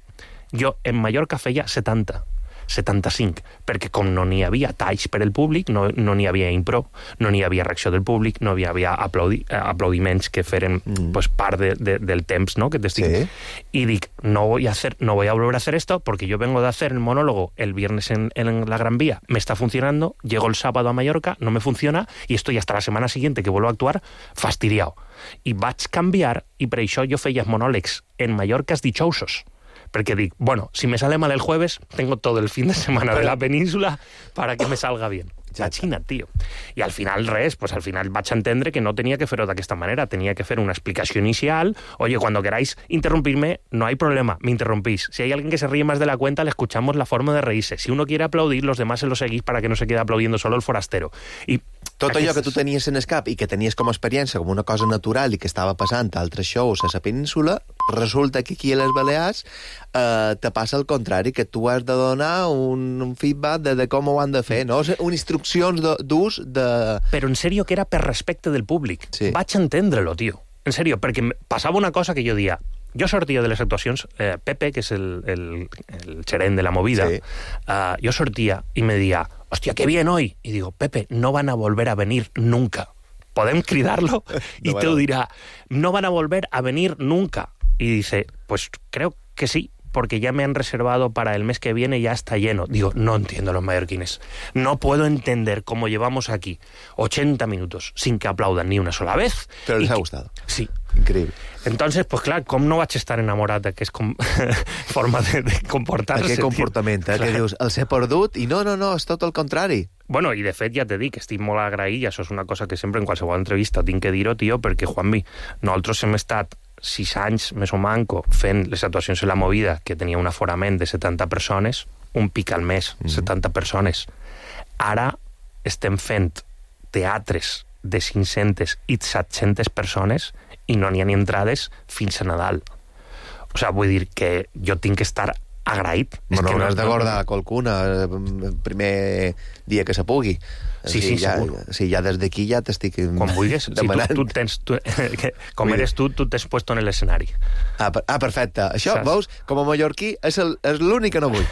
jo en Mallorca feia setanta. setanta-cinc, perquè com no n'hi havia talls per el públic, no no n'hi havia impro, no n'hi havia reacció del públic, no hi havia aplaudi, aplaudiments que feren mm. pues, part de, de, del temps, ¿no? Que t'estic... Sí. Y dic, no voy a hacer, no voy a volver a hacer esto, porque yo vengo de hacer el monólogo el viernes en, en la Gran Vía, me está funcionando, llego el sábado a Mallorca, no me funciona, y estoy hasta la semana siguiente que vuelvo a actuar fastidiado. I vaig canviar, i per això jo feia monòlegs en Mallorca dijousos, perquè dic, bueno, si me sale mal el jueves, tengo todo el fin de semana de la península para que me salga bien. Imagina't, tio. I al final res, pues al final vaig entendre que no tenia que fer-ho d'aquesta manera, tenia que fer una explicació inicial, oye, cuando queráis interrumpirme, no hay problema, me interrumpís. Si hay alguien que se ríe más de la cuenta, le escuchamos la forma de reírse. Si uno quiere aplaudir, los demás se lo seguís para que no se quede aplaudiendo solo el forastero. I tot allò aquest... que tu tenies en el cap i que tenies com a experiència, com una cosa natural i que estava passant a altres shows a la península, resulta que aquí a les Balears eh, te passa el contrari, que tu has de donar un, un feedback de, de com ho han de fer, no? Un instruccions d'ús de... Però en sèrio que era per respecte del públic. Sí. Vaig entendre-lo, tio. En sèrio, perquè passava una cosa que jo dia... Jo sortia de les actuacions, eh, Pepe, que és el, el, el gerent de la movida, sí. uh, jo sortia i me deia, hòstia, qué bien hoy. Y digo, Pepe, no van a volver a venir nunca. ¿Podem cridarlo? Y no, te bueno. dirá, no van a volver a venir nunca. Y dice, pues creo que sí, porque ya me han reservado para el mes que viene, ya está lleno. Digo, no entiendo los mallorquines. No puedo entender cómo llevamos aquí ochenta minutos sin que aplaudan ni una sola vez. Pero les ha que... gustado. Sí. Increíble. Entonces, pues clar, com no vaig estar enamorat d'aquesta com... forma de, de comportar-se? Aquest comportament, eh, que dius, els he perdut, i no, no, no, és tot el contrari. Bueno, i de fet ja t'he dit que estic molt agraït, i això és una cosa que sempre en qualsevol entrevista tinc que dir-ho, tio, perquè, Juanmi, nosaltres hem estat sis anys més o manco fent les actuacions en la movida, que tenia un aforament de setanta persones, un pic al mes, mm. setanta persones. Ara estem fent teatres de cinc-centes i set-centes persones i no n'hi ha ni entrades fins a Nadal. O sigui, vull dir que jo tinc que estar agraït. Bueno, que no has de guardar qualcuna el primer dia que se pugui. Sí, sí, ja, segur. Sí, ja des d'aquí ja t'estic com vulguis. demanant. Si tu, tu tens, tu, que, com Vull eres tu, tu t'has puesto en l'escenari. Ah, per, ah, perfecte. Això, saps? Veus, com a mallorquí, és, el, és l'únic que no vull.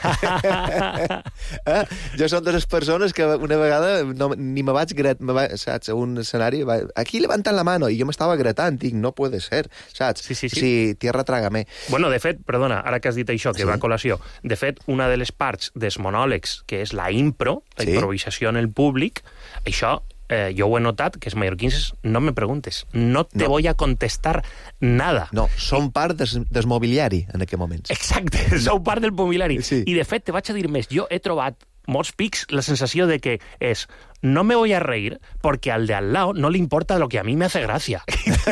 eh? Jo som de les persones que una vegada no, ni me vaig gret, me va, saps, a un escenari, va, aquí levantant la mano, i jo m'estava gretant, dic, no puede ser, saps? Sí, sí, sí. Sí, tierra trágame. Bueno, de fet, perdona, ara que has dit això, que sí. va a col·lació, de fet, una de les parts dels monòlegs, que és la impro, la sí. improvisació en el públic, això eh, jo ho he notat, que els mallorquins no me preguntes, no te no. voy a contestar nada. No, són I... part des, des mobiliari en aquest moment. Exacte, no. Sou part del mobiliari. Sí. I de fet, te vaig a dir més, jo he trobat molts pics la sensació de que és no me voy a reír porque al de al lado no le importa lo que a mí me hace gracia.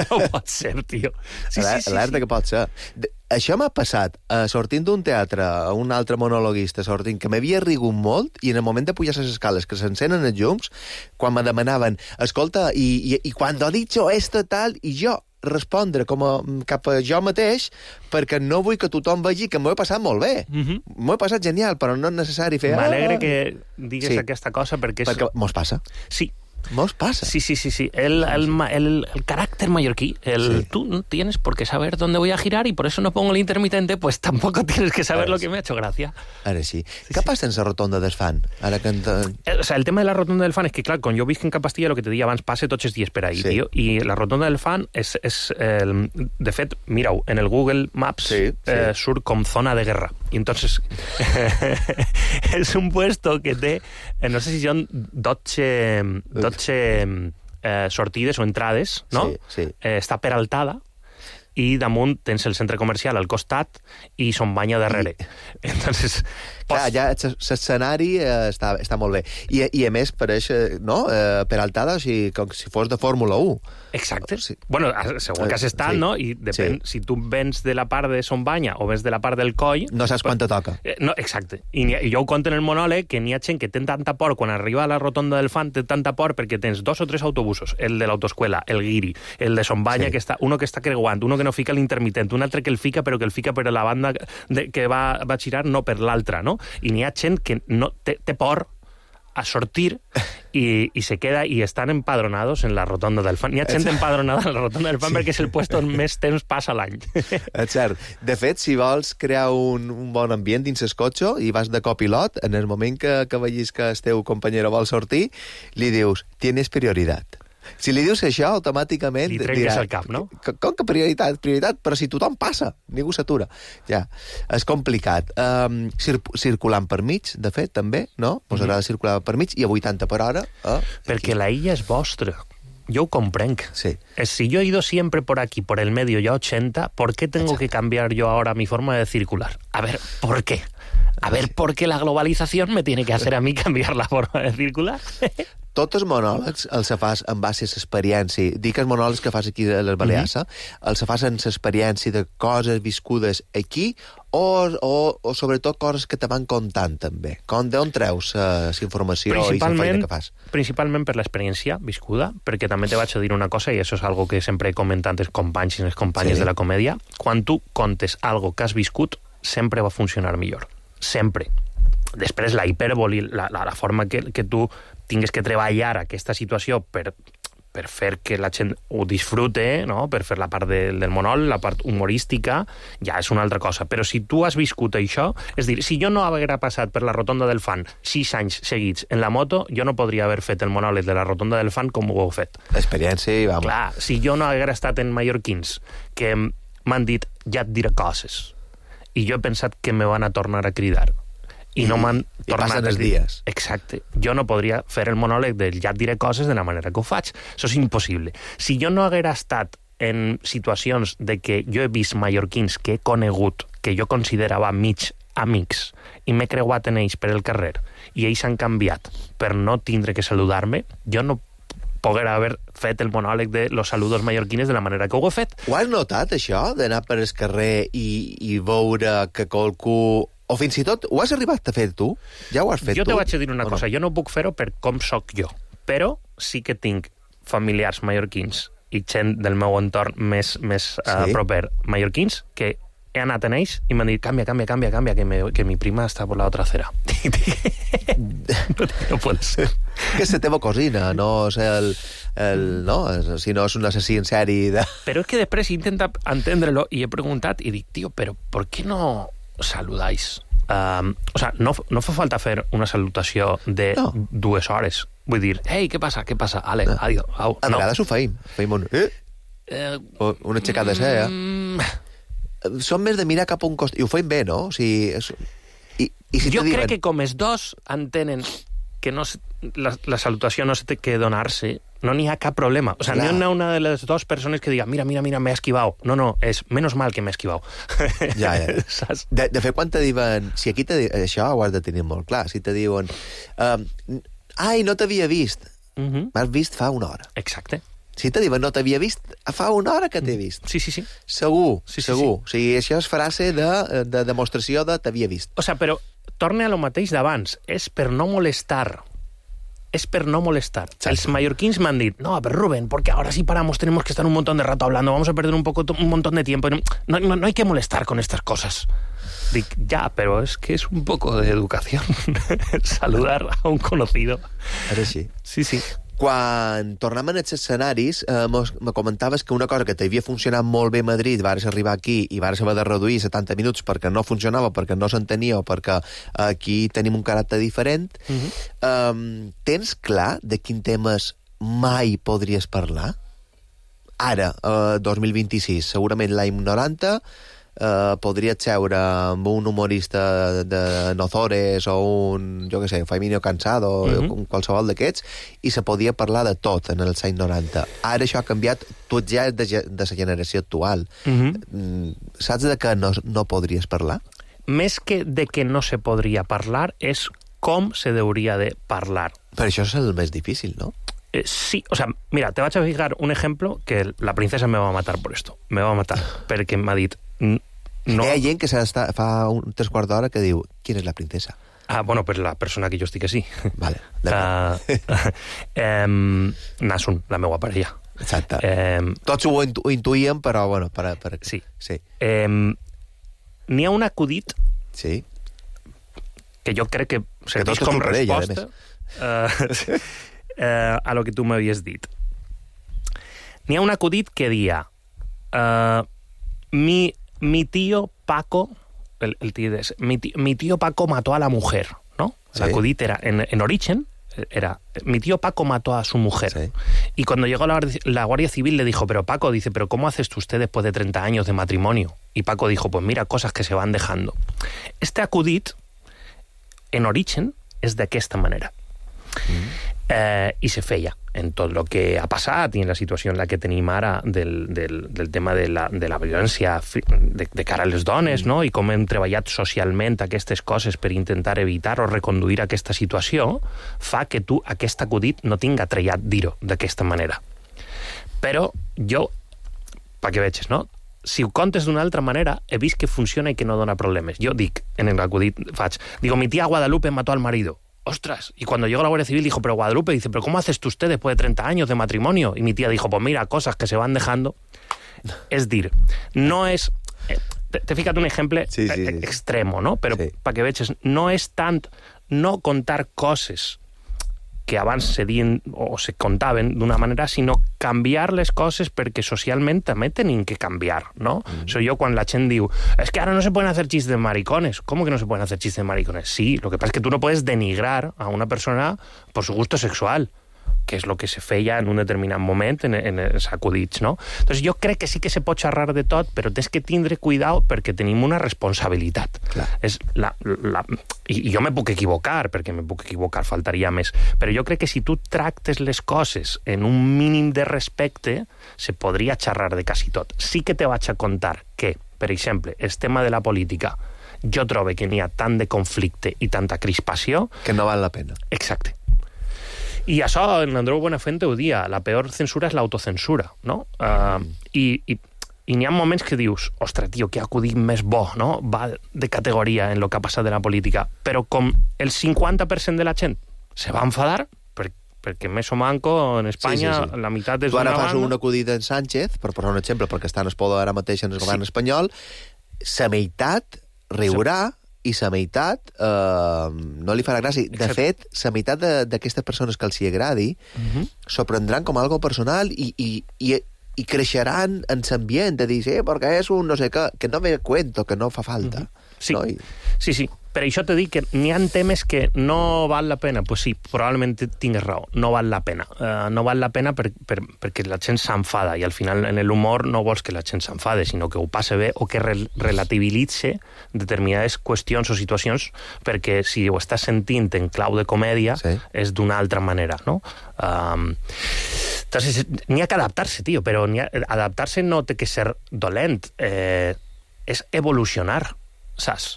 No pot ser, tio. Sí, sí, sí, Alerta sí. que pot ser. De, això m'ha passat uh, sortint d'un teatre a un altre monologuista sortint, que m'havia rigut molt, i en el moment de pujar les escales, que s'encenen els llums, quan me demanaven, escolta, i, i, i quan ha dicho esto tal, i jo respondre com a, cap a jo mateix, perquè no vull que tothom vegi que m'ho he passat molt bé. Mm-hmm. M'ho he passat genial, però no és necessari fer... M'alegre que digues sí. aquesta cosa, perquè... És... Perquè mos passa. Sí. Mos pasa. Sí, sí, sí, sí. El, el, el, el carácter mallorquí, el sí. tú no tienes por qué saber dónde voy a girar y por eso no pongo el intermitente, pues tampoco tienes que saber Ara lo que sí. me ha hecho gracia. Ara sí. sí Què sí. passa en la rotonda del fan? Ara que... El, o sea, el tema de la rotonda del fan és que, clar, quan jo visc en Cap Castilla, el que te deia abans, passe tots els dies per ahí, sí. tio, i la rotonda del fan és, és eh, de fet, mira-ho, en el Google Maps sí, sí. Eh, surt com zona de guerra. I entonces és un puesto que té, eh, no sé si són dotze... dotze eh, sortides o entrades, no? Sí, sí. Eh, està peraltada i damunt tens el centre comercial al costat i son banya darrere. I... Entonces, Clar, ja l'escenari eh, està, està molt bé. I, i a més, pareix, no?, eh, Peraltada, o sigui, com si fos de Fórmula u. Exacte. Sí. Bueno, segur que has estat, sí. no? I depèn, sí. si tu vens de la part de Son Banya o vens de la part del coll... No saps quan te toca. Eh, no, exacte. I, ha, I jo ho conto en el monòleg, que n'hi ha gent que té tanta por, quan arriba a la rotonda del Fan, té tanta por perquè tens dos o tres autobusos, el de l'autoescuela, el guiri, el de Son Banya, sí. que està, uno que està creuant, uno que no fica l'intermitent, un altre que el fica, però que el fica per la banda de, que va, va girar, no per l'altra, no? I n'hi ha gent que no té, té por a sortir y, y se queda y están empadronados en la rotonda del Fan. Hi ha gent empadronada en la rotonda del Fan sí. perquè és el puesto on més temps passa l'any. És cert. De fet, si vols crear un, un bon ambient dins el cotxe i vas de copilot, en el moment que, que vegis que el teu companyero vol sortir, li dius, tienes prioridad. Si li dius això, automàticament... Li trenques dirà, el cap, no? Com que prioritat? Prioritat, però si tothom passa, ningú s'atura. Ja, és complicat. Um, cir circulant per mig, de fet, també, no? Us agrada mm-hmm. circular per mig i a vuitanta per hora. Eh? Perquè la illa és vostra. Yo comprenc. Sí. Si yo he ido siempre por aquí, por el medio, ya ochenta, ¿por qué tengo Exacto. que cambiar yo ahora mi forma de circular? A ver, ¿por qué? A ver, ¿por qué la globalización me tiene que hacer a mí cambiar la forma de circular? Tots els monòlegs els fas en base a l'experiència. Dic els monòlegs que fas aquí a les Balears, mm-hmm. els fas en l'experiència de coses viscudes aquí o, o, o sobretot coses que te van contant, també. Com d'on treus uh, la informació i la feina que fas? Principalment per l'experiència viscuda, perquè també te vaig a dir una cosa, i això és algo que sempre he comentat als companys i les companyes sí. de la comèdia. Quan tu contes algo que has viscut, sempre va funcionar millor. Sempre. Després, la hipèrboli, la, la, la forma que, que tu tingues que treballar aquesta situació per, per fer que la gent ho disfrute, no? Per fer la part de, del monòleg, la part humorística, ja és una altra cosa. Però si tu has viscut això, és dir, si jo no haguera passat per la rotonda del Fan sis anys seguits en la moto, jo no podria haver fet el monòleg de la rotonda del Fan com ho heu fet. Experiència i vamos. Clar, si jo no haguera estat en mallorquins, que m'han dit, ja et diré coses, i jo he pensat que me van a tornar a cridar, i no m'han tornat els dies. Exacte. Jo no podria fer el monòleg del ja et diré coses de la manera que ho faig. Això és impossible. Si jo no haguera estat en situacions de que jo he vist mallorquins que he conegut, que jo considerava mig amics, i m'he creuat en ells per el carrer, i ells han canviat per no tindre que saludar-me, jo no poguera haver fet el monòleg de los saludos mallorquines de la manera que ho he fet. Ho has notat, això, d'anar per el carrer i, i veure que qualcú... O fins i tot, ho has arribat a fer tu? Ja ho has fet jo tu? Jo te vaig a dir una cosa, no? Jo no puc fer-ho per com sóc jo, però sí que tinc familiars mallorquins i gent del meu entorn més, més sí? uh, proper mallorquins que he anat en ells i m'han dit, canvia, canvia, canvia, canvia, que, me, que mi prima està por la otra acera. no, no pot ser. Que és la teva cosina, no és el... el no, si no és un assassí en sèrie de... Però és que després he intentat entendre-lo i he preguntat i dic, tío, però ¿por qué no saludáis? Um, o sea, no, no fa falta fer una salutació de no. dues hores. Vull dir, hey, què passa, què passa? Ale, no. adiós. Au. A vegades no. ho feim. Feim un... Eh? Eh, o una aixecada de cella. Mm... Som més de mirar cap a un cost... I ho feim bé, no? O sigui, és... I, i si jo diuen... crec que com els dos entenen que no se, la, la salutació no se té que donar-se, no n'hi ha cap problema. O sea, no hi ha una de les dues persones que diga, mira, mira, mira, m'he esquivado. No, no, és menos mal que m'he esquivado. Ja, ja. De, de fet, quan te diuen... Si aquí te diuen... Això ho has de tenir molt clar. Si te diuen... Uh, ai, no t'havia vist. Uh-huh. M'has vist fa una hora. Exacte. Si te diuen no t'havia vist, fa una hora que t'he vist. Sí, sí, sí. Segur, sí, sí, segur. Sí. O sigui, això és frase de, de demostració de t'havia vist. O sea, però torne a lo mateix d'abans. És per no molestar. Es per no molestar. Sí. Els mallorquins m'han dit, no, pero Rubén, porque ahora si paramos tenemos que estar un montón de rato hablando, vamos a perder un poco un montón de tiempo. No, no, no hay que molestar con estas cosas. Dic, ya, pero es que es un poco de educación saludar a un conocido. Ara sí. Sí, sí. Quan tornàvem als escenaris, eh, me comentaves que una cosa que t'havia funcionat molt bé a Madrid, vares arribar aquí i vares haver de reduir setanta minuts perquè no funcionava, perquè no s'entenia o perquè aquí tenim un caràcter diferent. Uh-huh. um, tens clar de quin temes mai podries parlar? Ara, eh, dos mil vint-i-sis, segurament l'any noranta, Uh, podria seure amb un humorista de Nozores o un, jo què sé, Faimino Cansado o mm-hmm. qualsevol d'aquests, i se podia parlar de tot en els anys noranta. Ara això ha canviat, tu ja és de, de la generació actual. Mm-hmm. Saps de què no, no podries parlar? més que de que no se podria parlar, és com se deuria de parlar. Però això és el més difícil, ¿no? Eh, sí, o sea, mira, te vaig a fijar un ejemplo que la princesa me va a matar por esto. Me va a matar, perquè m'ha dit... No... Hi ha gent que està, fa un tres quarts d'hora que diu, ¿quién es la princesa? Ah, bueno, pues la persona que jo estic així. Vale, uh, eh, Nasun, la meva parella. Exacte. Eh, Tots ho, intu ho intuïem, però, bueno, per... per... Sí. sí. Eh, N'hi ha un acudit sí. que jo crec que serveix que com ella, resposta uh, uh, a lo que tu m'havies dit. N'hi ha un acudit que dia uh, mi, mi tío Paco el, el tío de, mi, tío, mi tío Paco mató a la mujer, ¿no? Sí. El acudit era en, en origen era, mi tío Paco mató a su mujer. Sí. Y cuando llegó la, la Guardia Civil le dijo, pero Paco, dice, ¿pero cómo haces tú usted después de treinta años de matrimonio? Y Paco dijo, pues mira, cosas que se van dejando. Este acudit, en origen, és d'aquesta manera. Mm. Eh, I se feia en tot el que ha passat i en la situació en la que tenim ara del, del, del tema de la, de la violència de, de cara a les dones, mm. no? I com hem treballat socialment aquestes coses per intentar evitar o reconduir aquesta situació, fa que tu aquest acudit no tinga trellat dir-ho d'aquesta manera. Però jo, perquè veges, no? Si ho contes d'una altra manera, he vist que funciona i que no dona problemes. Jo dic, en el acudit faig, digo, mi tía Guadalupe mató al marido. Ostras, y cuando llegó la Guardia Civil dijo, pero Guadalupe, dice, pero ¿cómo haces tú usted después de treinta años de matrimonio? Y mi tía dijo, pues mira, cosas que se van dejando. Es dir, no és... Te, te ficat un exemple sí, sí, sí. extremo, no? Però sí. perquè veges, no és tant no contar coses que abans se dien o se contaven d'una manera, sinó canviar les coses perquè socialment també tenim que canviar, ¿no? Mm. So yo quan la gent diu, es que ahora no se pueden hacer chistes de maricones. ¿Cómo que no se pueden hacer chistes de maricones? Sí, lo que pasa es que tú no puedes denigrar a una persona por su gusto sexual, que és el que se feia en un determinat moment en, en els acudits, no? Entonces jo crec que sí que se pot xerrar de tot, però tens que tindre cuidado perquè tenim una responsabilitat. Clar. És la, la, i, I jo me puc equivocar, perquè me puc equivocar, faltaria més, però jo crec que si tu tractes les coses en un mínim de respecte, se podria xerrar de quasi tot. Sí que te vaig a contar que, per exemple, el tema de la política, jo trobo que n'hi ha tant de conflicte i tanta crispació... Que no val la pena. Exacte. I això, en Andreu Buenafuente ho dia, la peor censura és l'autocensura, no? Uh, I i, i n'hi ha moments que dius, ostres, tio, que acudit més bo, no? Va de categoria en el que ha passat de la política, però com el cinquanta per cent de la gent se va enfadar, per, perquè més o manco en Espanya sí, sí, sí. la meitat és una banda... Tu ara fas un acudit en Sánchez, per posar un exemple, perquè està en el poder ara mateix en el govern sí. espanyol, sa meitat riurà sí. i la meitat eh, no li farà gràcia. De Exacte. fet, la meitat d'aquestes persones que els hi agradi uh-huh. s'ho prendran com algo personal i, i, i, i creixeran en l'ambient de dir, eh, perquè és un no sé què, que no me cuento, que no fa falta. Uh-huh. Sí. No? I... sí, sí. Per això te dic que n'hi ha temes que no val la pena. Pues sí, probablement tingues raó, no val la pena. Uh, no val la pena per, per, perquè la gent s'enfada i al final en l'humor no vols que la gent s'enfade, sinó que ho passe bé o que re relativitze determinades qüestions o situacions perquè si ho estàs sentint en clau de comèdia sí. és d'una altra manera, no? Um, entonces, n'hi ha que adaptar-se, tio, però ha, adaptar-se no té que ser dolent, eh, és evolucionar, saps?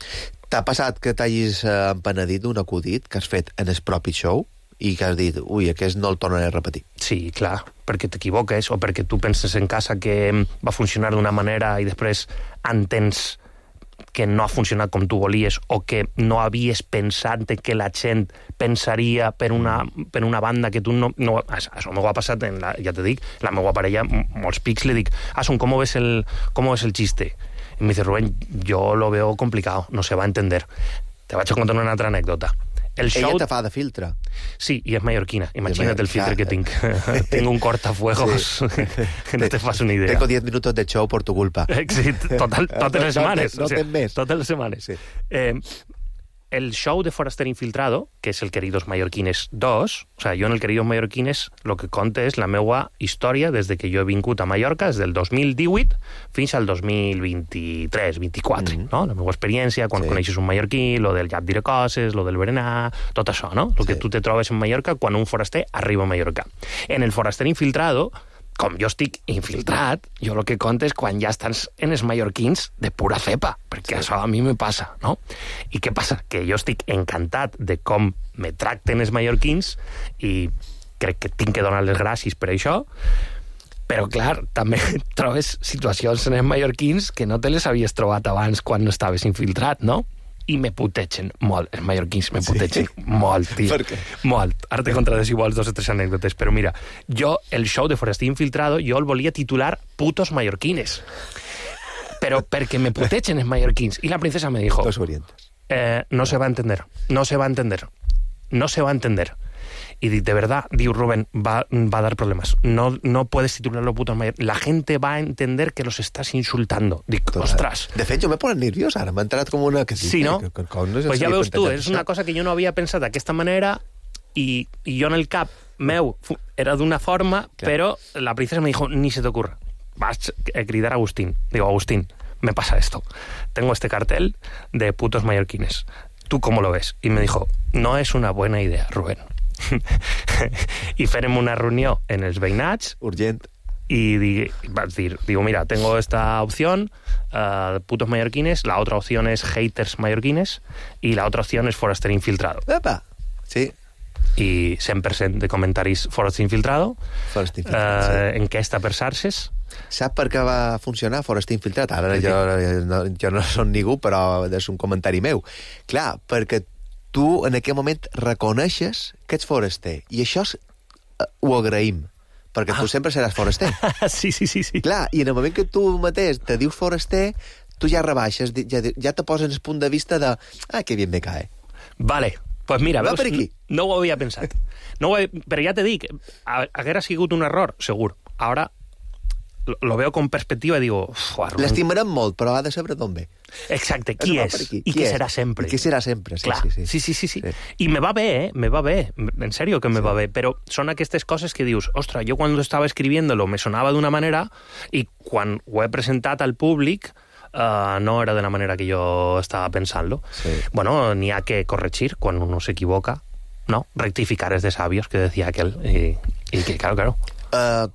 T'ha passat que t'hagis empenedit d'un acudit que has fet en el propi show i que has dit, ui, aquest no el tornaré a repetir? Sí, clar, perquè t'equivoques o perquè tu penses en casa que va funcionar d'una manera i després entens que no ha funcionat com tu volies o que no havies pensat que la gent pensaria per una, per una banda que tu no... no això m'ho ha passat, en la, ja te dic, la meva parella, molts pics, li dic, Asun, ¿cómo ves el, cómo ves el chiste? Y me dice, Rubén, yo lo veo complicado, no se va a entender. Te vaig a contar una altra anècdota. El show... Ella te fa de filtre. Sí, i és mallorquina. Imagina't el filtre que tinc. Tinc un cortafuegos sí. que no te fas una idea. Tengo diez minutos de show por tu culpa. Sí, total, totes les setmanes. No, no, no tens més. Totes les setmanes. Sí. Eh, el show de Foraster Infiltrado, que és el Queridos Mallorquines dos, o sea, jo en el Queridos Mallorquines el que conte és la meua història des de que jo he vingut a Mallorca, des del dos mil divuit fins al dos mil vint-i-tres vint-i-quatre, mm-hmm. no? La meva experiència, quan sí. coneixes un mallorquí, lo del gat diré coses, lo del berenar, tot això, no? El sí. que tu te trobes en Mallorca quan un foraster arriba a Mallorca. En el Foraster Infiltrado com jo estic infiltrat, jo el que conto és quan ja estàs en els mallorquins de pura cepa, perquè sí. Això a mi me passa, no? I què passa? Que jo estic encantat de com me tracten els mallorquins i crec que tinc que donar les gràcies per això, però, clar, també trobes situacions en els mallorquins que no te les havies trobat abans quan no estaves infiltrat, no? I me putegen molt, els mallorquins me putegen sí? molt, tio. Per què? Molt. Ara te contaré si vols dos o tres anècdotes, però mira, jo, el show de Foraster Infiltrado, jo el volia titular Putos Mallorquines. Però perquè me putegen els mallorquins. I la princesa me dijo... Los orientes. Eh, no se va a entender, no se va a entender, no se va a entender. Y de verdad, digo Rubén, va, va a dar problemas. No, no puedes titularlo putos mallorquines. La gente va a entender que los estás insultando. Dic, ostras. De fet, jo m'he posat nerviós ara. M'ha entrat com una... Que sí, no? Que, que, que no pues ja veus tu, és una cosa que jo no havia pensat d'aquesta manera i, i jo en el cap meu era d'una forma, claro. Però la princesa me dijo, ni se te ocurra. Vas a cridar a Agustín. Digo, Agustín, me pasa esto. Tengo este cartel de putos mallorquines. ¿Tú cómo lo ves? Y me dijo, no es una buena idea, Rubén. I fèrem una reunió en els veïnats urgent y di, vas dir, digo, mira, tengo esta opción, uh, putos mallorquines, la otra opción es haters mallorquines y la otra opción es Foraster Infiltrado. Epa, sí. I cent per cent de comentaris Foraster Infiltrado, Foraster Infiltrado, uh, sí. enquesta per Sarses. Sap per què va funcionar Foraster Infiltrat? Ara jo, no, jo no som ningú, però és un comentari meu. Clar, perquè tu en aquell moment reconeixes que ets foraster, i això és, uh, ho agraïm, perquè ah. tu sempre seràs foraster. sí, sí, sí, sí. Clar, i en el moment que tu mateix te dius foraster, tu ja rebaixes, ja, ja te poses en el punt de vista de ah, que bien me cae. Vale, pues mira, va veus, per aquí. No, no ho havia pensat. No ho he, però ja te dic, haguera sigut un error, segur. Ara lo, lo veo con perspectiva i digo... L'estimarem molt, però ha de saber d'on ve. Exacte, qui és? I qui serà sempre. I qui serà sempre, sí, Clar, sí, sí. sí, sí, sí, sí. I me va bé, eh? Me va bé. En serio que me sí. va bé. Però són aquestes coses que dius, ostres, jo quan estava escribiéndolo me sonava d'una manera i quan ho he presentat al públic uh, no era de la manera que jo estava pensant-lo. Sí. Bueno, n'hi ha que corregir quan uno s'equivoca, no? Rectificar és de sabios, que decía aquel. I, i que, claro, claro. Uh,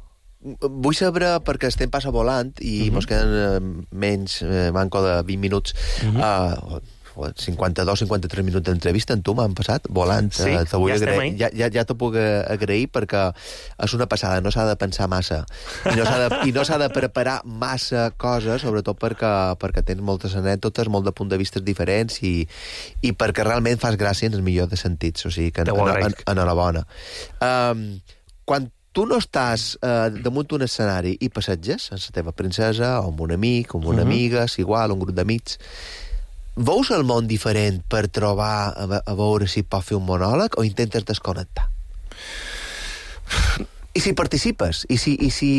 vull saber, perquè estem passa volant i uh-huh. mos queden uh, menys uh, manco de vint minuts, uh-huh. uh, cinquanta-dos cinquanta-tres minuts d'entrevista en tu m'han passat volant. Sí, uh, ja estem ahí. Ja, ja, ja t'ho puc agrair perquè és una passada, no s'ha de pensar massa i no s'ha de, i no s'ha de preparar massa coses, sobretot perquè, perquè tens moltes anècdotes, molt de punts de vista diferents i, i perquè realment fas gràcia en el millor de sentits, o sigui que en, en, en, enhorabona. Um, quan tu no estàs eh, damunt d'un escenari i passeges amb la teva princesa, o amb un amic, o amb una uh-huh. amiga, si igual, un grup d'amics, veus el món diferent per trobar, a, a veure si pot fer un monòleg, o intentes desconnectar? I si participes, i si, i si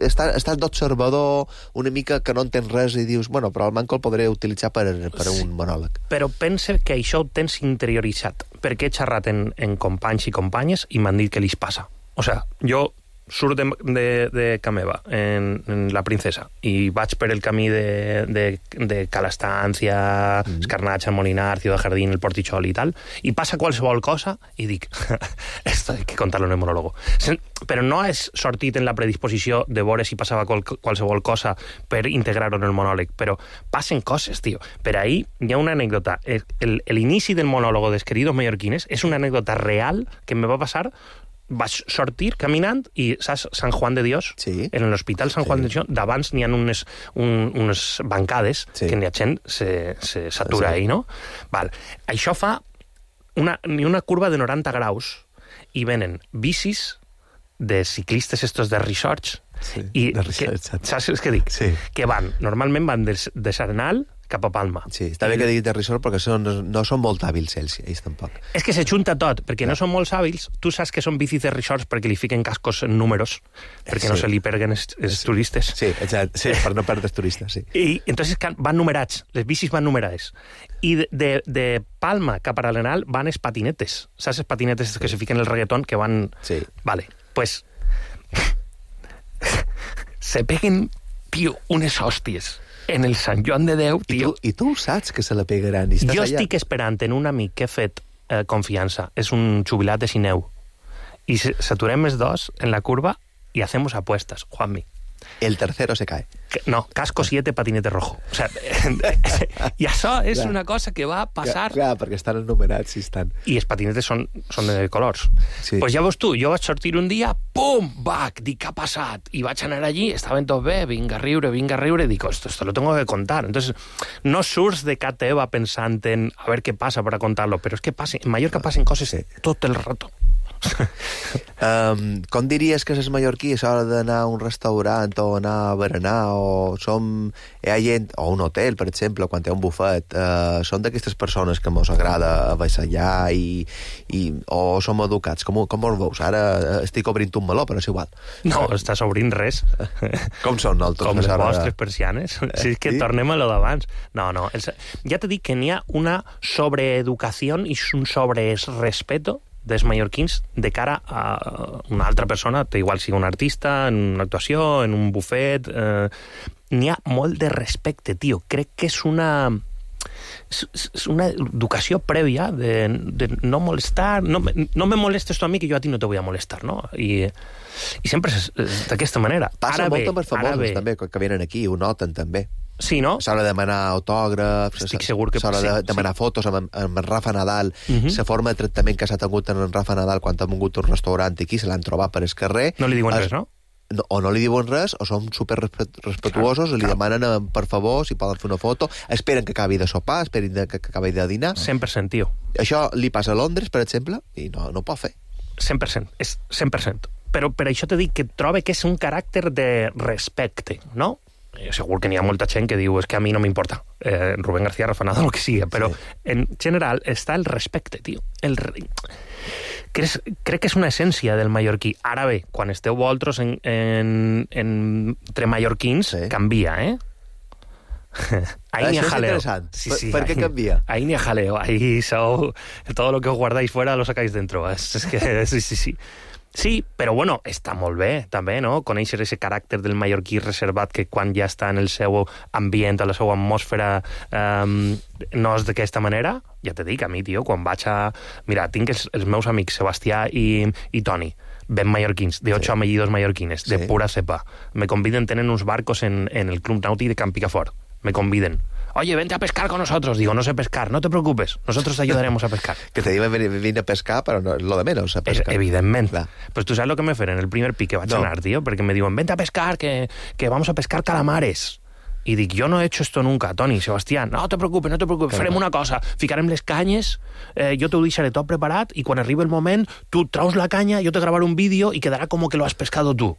estàs, estàs d'observador una mica que no entens res i dius, bueno, però el manco el podré utilitzar per, per sí, un monòleg. Però pensa que això ho tens interioritzat, perquè he xerrat en, en companys i companyes i m'han dit que li passa. O sea, jo surt de, de, de Cameva en, en La Princesa i vaig per el camí de, de, de Calastància, mm. Escarnatxa, Molinar, Ciudad Jardín, el Portichol i tal, i passa qualsevol cosa i dic, esto hay que contarlo en el monólogo. Però no és sortit en la predisposició de veure si passava qual, qualsevol cosa per integrar-ho en el monòleg, però passen coses, tio. Per ahí hi ha una anècdota. L'inici del monòlogo dels Queridos Mallorquines és una anècdota real que me va passar. Vaig sortir caminant i, saps, Sant Juan de Dios, sí. En l'Hospital Sant Juan sí. de Dios, d'abans n'hi ha unes, un, unes bancades sí. que la gent se, se satura sí. ahí, no? Val. Això fa una, una curva de noranta graus i venen bicis de ciclistes estos de resorts sí, i de resorts, que, saps què dic? Sí. Que van, normalment van de, de Sarnal cap a Palma. Sí, està bé que diguis de resort perquè són, no són molt hàbils ells, ells tampoc. És que se junta tot, perquè no, no són molt hàbils. Tu saps que són bicis de resorts perquè li fiquen cascos en números, perquè sí. no se li perguen els, els sí. turistes. Sí, exacte, sí, per no perdre els turistes, sí. I entonces van numerats, les bicis van numerades. I de, de, de Palma cap a l'Arenal van els patinetes. Saps els patinetes sí. que se fiquen el reggaeton, que van... Sí. Vale, pues... se peguen, tio, unes hòsties en el Sant Joan de Déu, tio. I tu, i tu saps que se la pegaran. I jo allà. Estic esperant en un amic que he fet eh, confiança. És un jubilat de Sineu. I s'aturem els dos en la curva y hacemos apuestas, Juanmi. El tercero se cae. No, casco siete, patinete rojo. O sea, i això és clar. Una cosa que va passar... Clar, clar, perquè estan enumerats, sí estan. I els patinetes són, són de colors. Sí. Pues ja veus tu, jo vaig sortir un dia, pum, bac, dic, què ha passat? I vaig anar allí, estaven tots bé, vinga a riure, vinga a riure, dic, esto, esto lo tengo que contar. Entonces, no surts de casa teva pensant en a ver qué pasa para contarlo, pero es que passa, en Mallorca passen coses sí. tot el rato. um, com diries que és mallorquí a l'hora d'anar a un restaurant o anar a berenar o som hi ha gent, o un hotel per exemple quan té un bufet, uh, són d'aquestes persones que mos agrada avassallar i, i, o som educats com, com us veus? Ara estic obrint un meló però és igual. No, estàs obrint res. Com són nosaltres? Com les vostres persianes. Sí, si és que sí? Tornem a lo d'abans. No, no, els, ja t'he dit que n'hi ha una sobreeducació i un sobrerespeto dels mallorquins de cara a una altra persona, igual sigui un artista, en una actuació, en un bufet... Eh, n'hi ha molt de respecte, tio. Crec que és una... és una educació prèvia de, de no molestar, no, no me molestes tu a mi que jo a ti no te voy a molestar, no? I, i sempre és, és d'aquesta manera. Passa ara molt bé, amb els famosos, també, que venen aquí, ho noten, també. Sí, no? S'ha de demanar autògrafs, estic segur que... s'ha de sí, demanar sí. fotos amb, amb en Rafa Nadal, uh-huh. la forma de tractament que s'ha tingut en Rafa Nadal quan ha vingut un restaurant aquí, se l'han trobat per el carrer. No li diuen es... res, no? No, o no li diuen res, o són super respetuosos, clar, i li clar. demanen, per favor, si poden fer una foto, esperen que acabi de sopar, esperen que acabi de dinar. cent per cent, tio. Això li passa a Londres, per exemple, i no, no ho pot fer. cent per cent, és cent per cent. Però per això t'he dit que trobe que és un caràcter de respecte, no? Segur que n'hi ha molta gent que diu és que a mi no m'importa, eh, Rubén García, Rafa Nadal, el que sigui, però sí. en general està el respecte, tio. El... Crec, crec que és una essència del mallorquí. Ara bé, quan esteu vosaltres en, en, en, entre mallorquins, sí. canvia, eh? Ahí ni a jaleo. Sí, sí, ¿Per, ¿Per qué cambia? Ahí ni a jaleo. Ahí so, todo lo que os guardáis fuera lo sacáis dentro. Es, es que sí, sí, sí. Sí, però bueno, està molt bé, també, no? Conèixer aquest caràcter del mallorquí reservat que quan ja està en el seu ambient, a la seva atmosfera, um, no és d'aquesta manera. Ja t'he dit, a mi, tio, quan vaig a... Mira, tinc els, els meus amics Sebastià i, i Toni, ben mallorquins, de ocho sí. apellidos mallorquines, de sí. pura cepa. Me conviden, tenen uns barcos en, en el Club Nàutic de Camp Picafort. Me conviden. Oye, vente a pescar con nosotros. Digo, no sé pescar, no te preocupes, nosotros te ayudaremos a pescar. Que te digan venir a pescar, però no, lo de menos, a pescar. Es, evidentment. Clar. Pues tú sabes lo que me feren el primer pic que vaig no. anar, tío, perquè me diuen, vente a pescar, que, que vamos a pescar calamares. I dic, yo no he hecho esto nunca, Toni, Sebastián, no te preocupes, no te preocupes, farem una cosa, ficarem les canyes, eh, jo t'ho deixaré tot preparat, i quan arribi el moment, tu traus la canya, jo te gravaré un vídeo i quedará como que lo has pescado tú.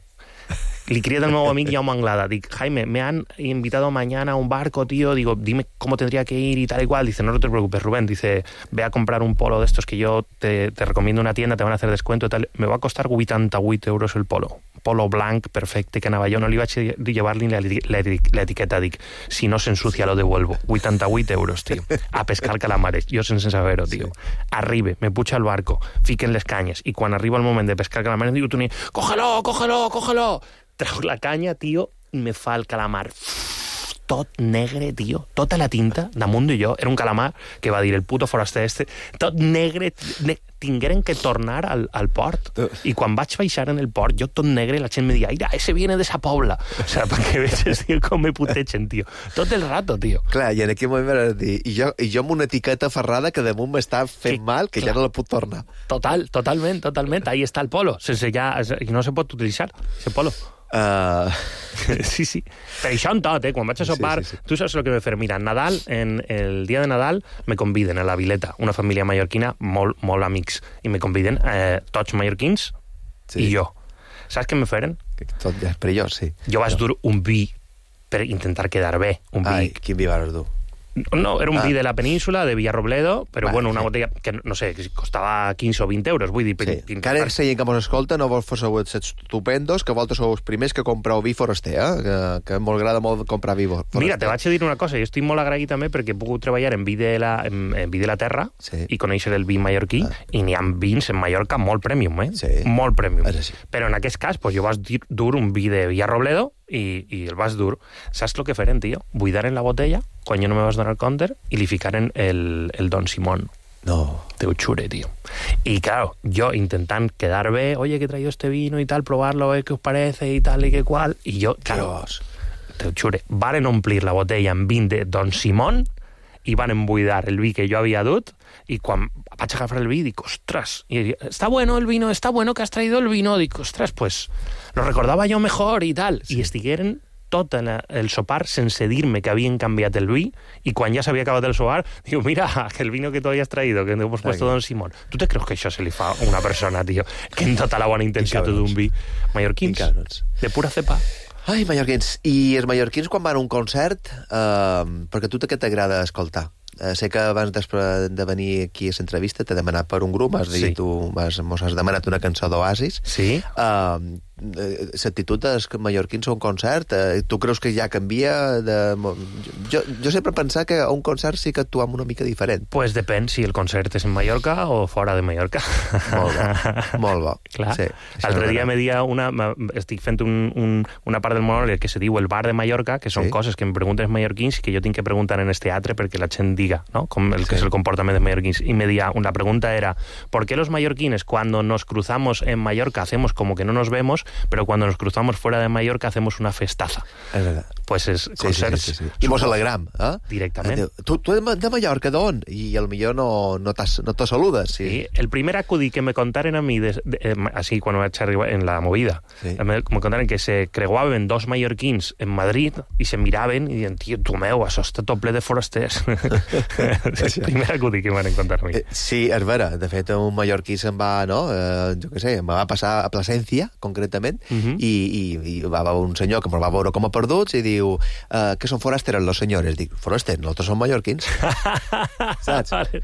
Le escribí al nuevo amigo Jaume Anglada. Digo, Jaime, me han invitado mañana a un barco, tío. Digo, dime cómo tendría que ir y tal y cual. Dice, no te preocupes, Rubén. Dice, ve a comprar un polo de estos que yo te, te recomiendo una tienda, te van a hacer descuento y tal. Me va a costar vuitanta-vuit euros el polo. Polo blanc, perfecte, que anava jo. No li vaig llevar ni la, la, la etiqueta. Dic, si no s'ensucia lo devuelvo. vuitanta-vuit euros, tío. A pescar calamares. Jo sense saber-ho, tío. Sí. Arribe, me puja al barco, fiquen les canyes. I quan arriba el moment de pescar calamares, digo, Toni, cógelo, cógelo, cógelo. Trau la canya, tio, i me fa el calamar tot negre, tio, tota la tinta damunt de jo, era un calamar que va dir el puto foraster este, tot negre, ne tingueren que tornar al, al port, i quan vaig baixar en el port, jo tot negre, la gent me dia, mira, ese viene de esa pobla, o sea, perquè veges, tio, com me putegen, tio, tot el rato, tio. Clar, i en aquell moment vas dir, i jo, i jo amb una etiqueta ferrada que damunt m'està fent que, mal, que clar, ja no la puc tornar. Total, totalment, totalment, ahí està el polo, sense ja, no se pot utilitzar, ese polo. Uh... sí, sí. Per això en tot, eh? Quan vaig a sopar, sí, sí, sí. Tu saps el que m'he fer? Mira, en Nadal, en el dia de Nadal, me conviden a la Vileta, una família mallorquina, molt, molt amics, i me conviden eh, tots mallorquins sí. i jo. Saps què me feren? Tot ja és perillós, sí. Jo vaig dur un vi per intentar quedar bé. Un vi... Ai, quin vi vas dur? No, era un ah. vi de la península, de Villarrobledo, però vale, bueno, una sí. botella que, no sé, que costava quinze o vint euros, vull dir... Sí. Encara que gent que mos escolta, no vos fos estupendos, que vosaltres sou els primers que compreu vi foraster, eh? que, que m'agrada molt comprar vi foraster. Mira, te vaig a dir una cosa, jo estic molt agraït també perquè he pogut treballar en vi de la, en, en vi de la terra sí. i conèixer el vi mallorquí, ah. i n'hi ha vins en Mallorca molt premium, eh? Sí. Molt premium. Sí. Però en aquest cas, pues, jo vaig dur un vi de Villarrobledo i, i el vas dur. Saps el que feren, tio? Buidaren la botella, quan jo no me vas donar el compte, i li ficaren el, el Don Simón. No. Te ho jure, tío. Y claro, yo intentant quedar bé, oye, que he traído este vino y tal, probarlo, a ver qué os parece y tal y que cual, y yo, claro, te ho jure, varen omplir la botella amb vin de Don Simón i van embuidar el vi que jo havia dut, i quan vaig agafar el vi dic, ostras, y, está bueno el vino, está bueno que has traído el vino, dic, ostras, pues lo recordaba yo mejor y tal, sí. I estigueren tot el sopar sense dir-me que havien canviat el vi, i quan ja s'havia acabat el sopar, diu, mira, que el vino que tú hayas traído, que hemos puesto Don Simón. Tu te creus que això se li fa a una persona, tio, que en tota la bona intenció tot un vi? Mallorquins, de pura cepa. Ai, mallorquins. I els mallorquins, quan van a un concert, eh, perquè a tu què t'agrada escoltar? Eh, sé que abans de venir aquí a l'entrevista t'he demanat per un grup, has dit, sí. tu has, mos has demanat una cançó d'Oasis. Sí. Uh, l'actitud dels mallorquins a un concert, eh, tu creus que ja canvia? De... Jo, jo sempre he pensat que a un concert sí que actuem una mica diferent. Pues depèn si el concert és en Mallorca o fora de Mallorca. Molt bo, molt bo. Clar. Sí, l'altre dia me dia una, estic fent un, un, una part del monòleg que se diu el bar de Mallorca, que són sí. coses que em pregunten els mallorquins i que jo tinc que preguntar en el teatre perquè la gent diga, ¿no? Com el que sí. és el comportament dels mallorquins. I me dia, la pregunta era, ¿por qué los mallorquines cuando nos cruzamos en Mallorca hacemos como que no nos vemos, pero cuando nos cruzamos fuera de Mallorca hacemos una festaza? Es verdad. Pues és sí, concerts... Sí, sí, sí, sí. I mos alegram, eh? Directament. Tu, tu de Mallorca d'on? I al millor no, no, no te saludes. Sí. sí. El primer acudit que me contaren a mi, de, de, eh, així quan vaig arribar en la movida, sí. me, me contaren que se creuaven dos mallorquins en Madrid i se miraven i diuen, tio, tu meu, això està tot ple de forasters. És el primer acudit que m'han contar a mi. Eh, sí, és vera. De fet, un mallorquí se'n va, no? Eh, jo què sé, em va passar a Plasencia, concretament, uh -huh. i, i, i va un senyor que ens va veure com a perduts i diu, uh, que són forasteros los senyores. Dic, forasters, nosaltres som mallorquins. Saps? Vale,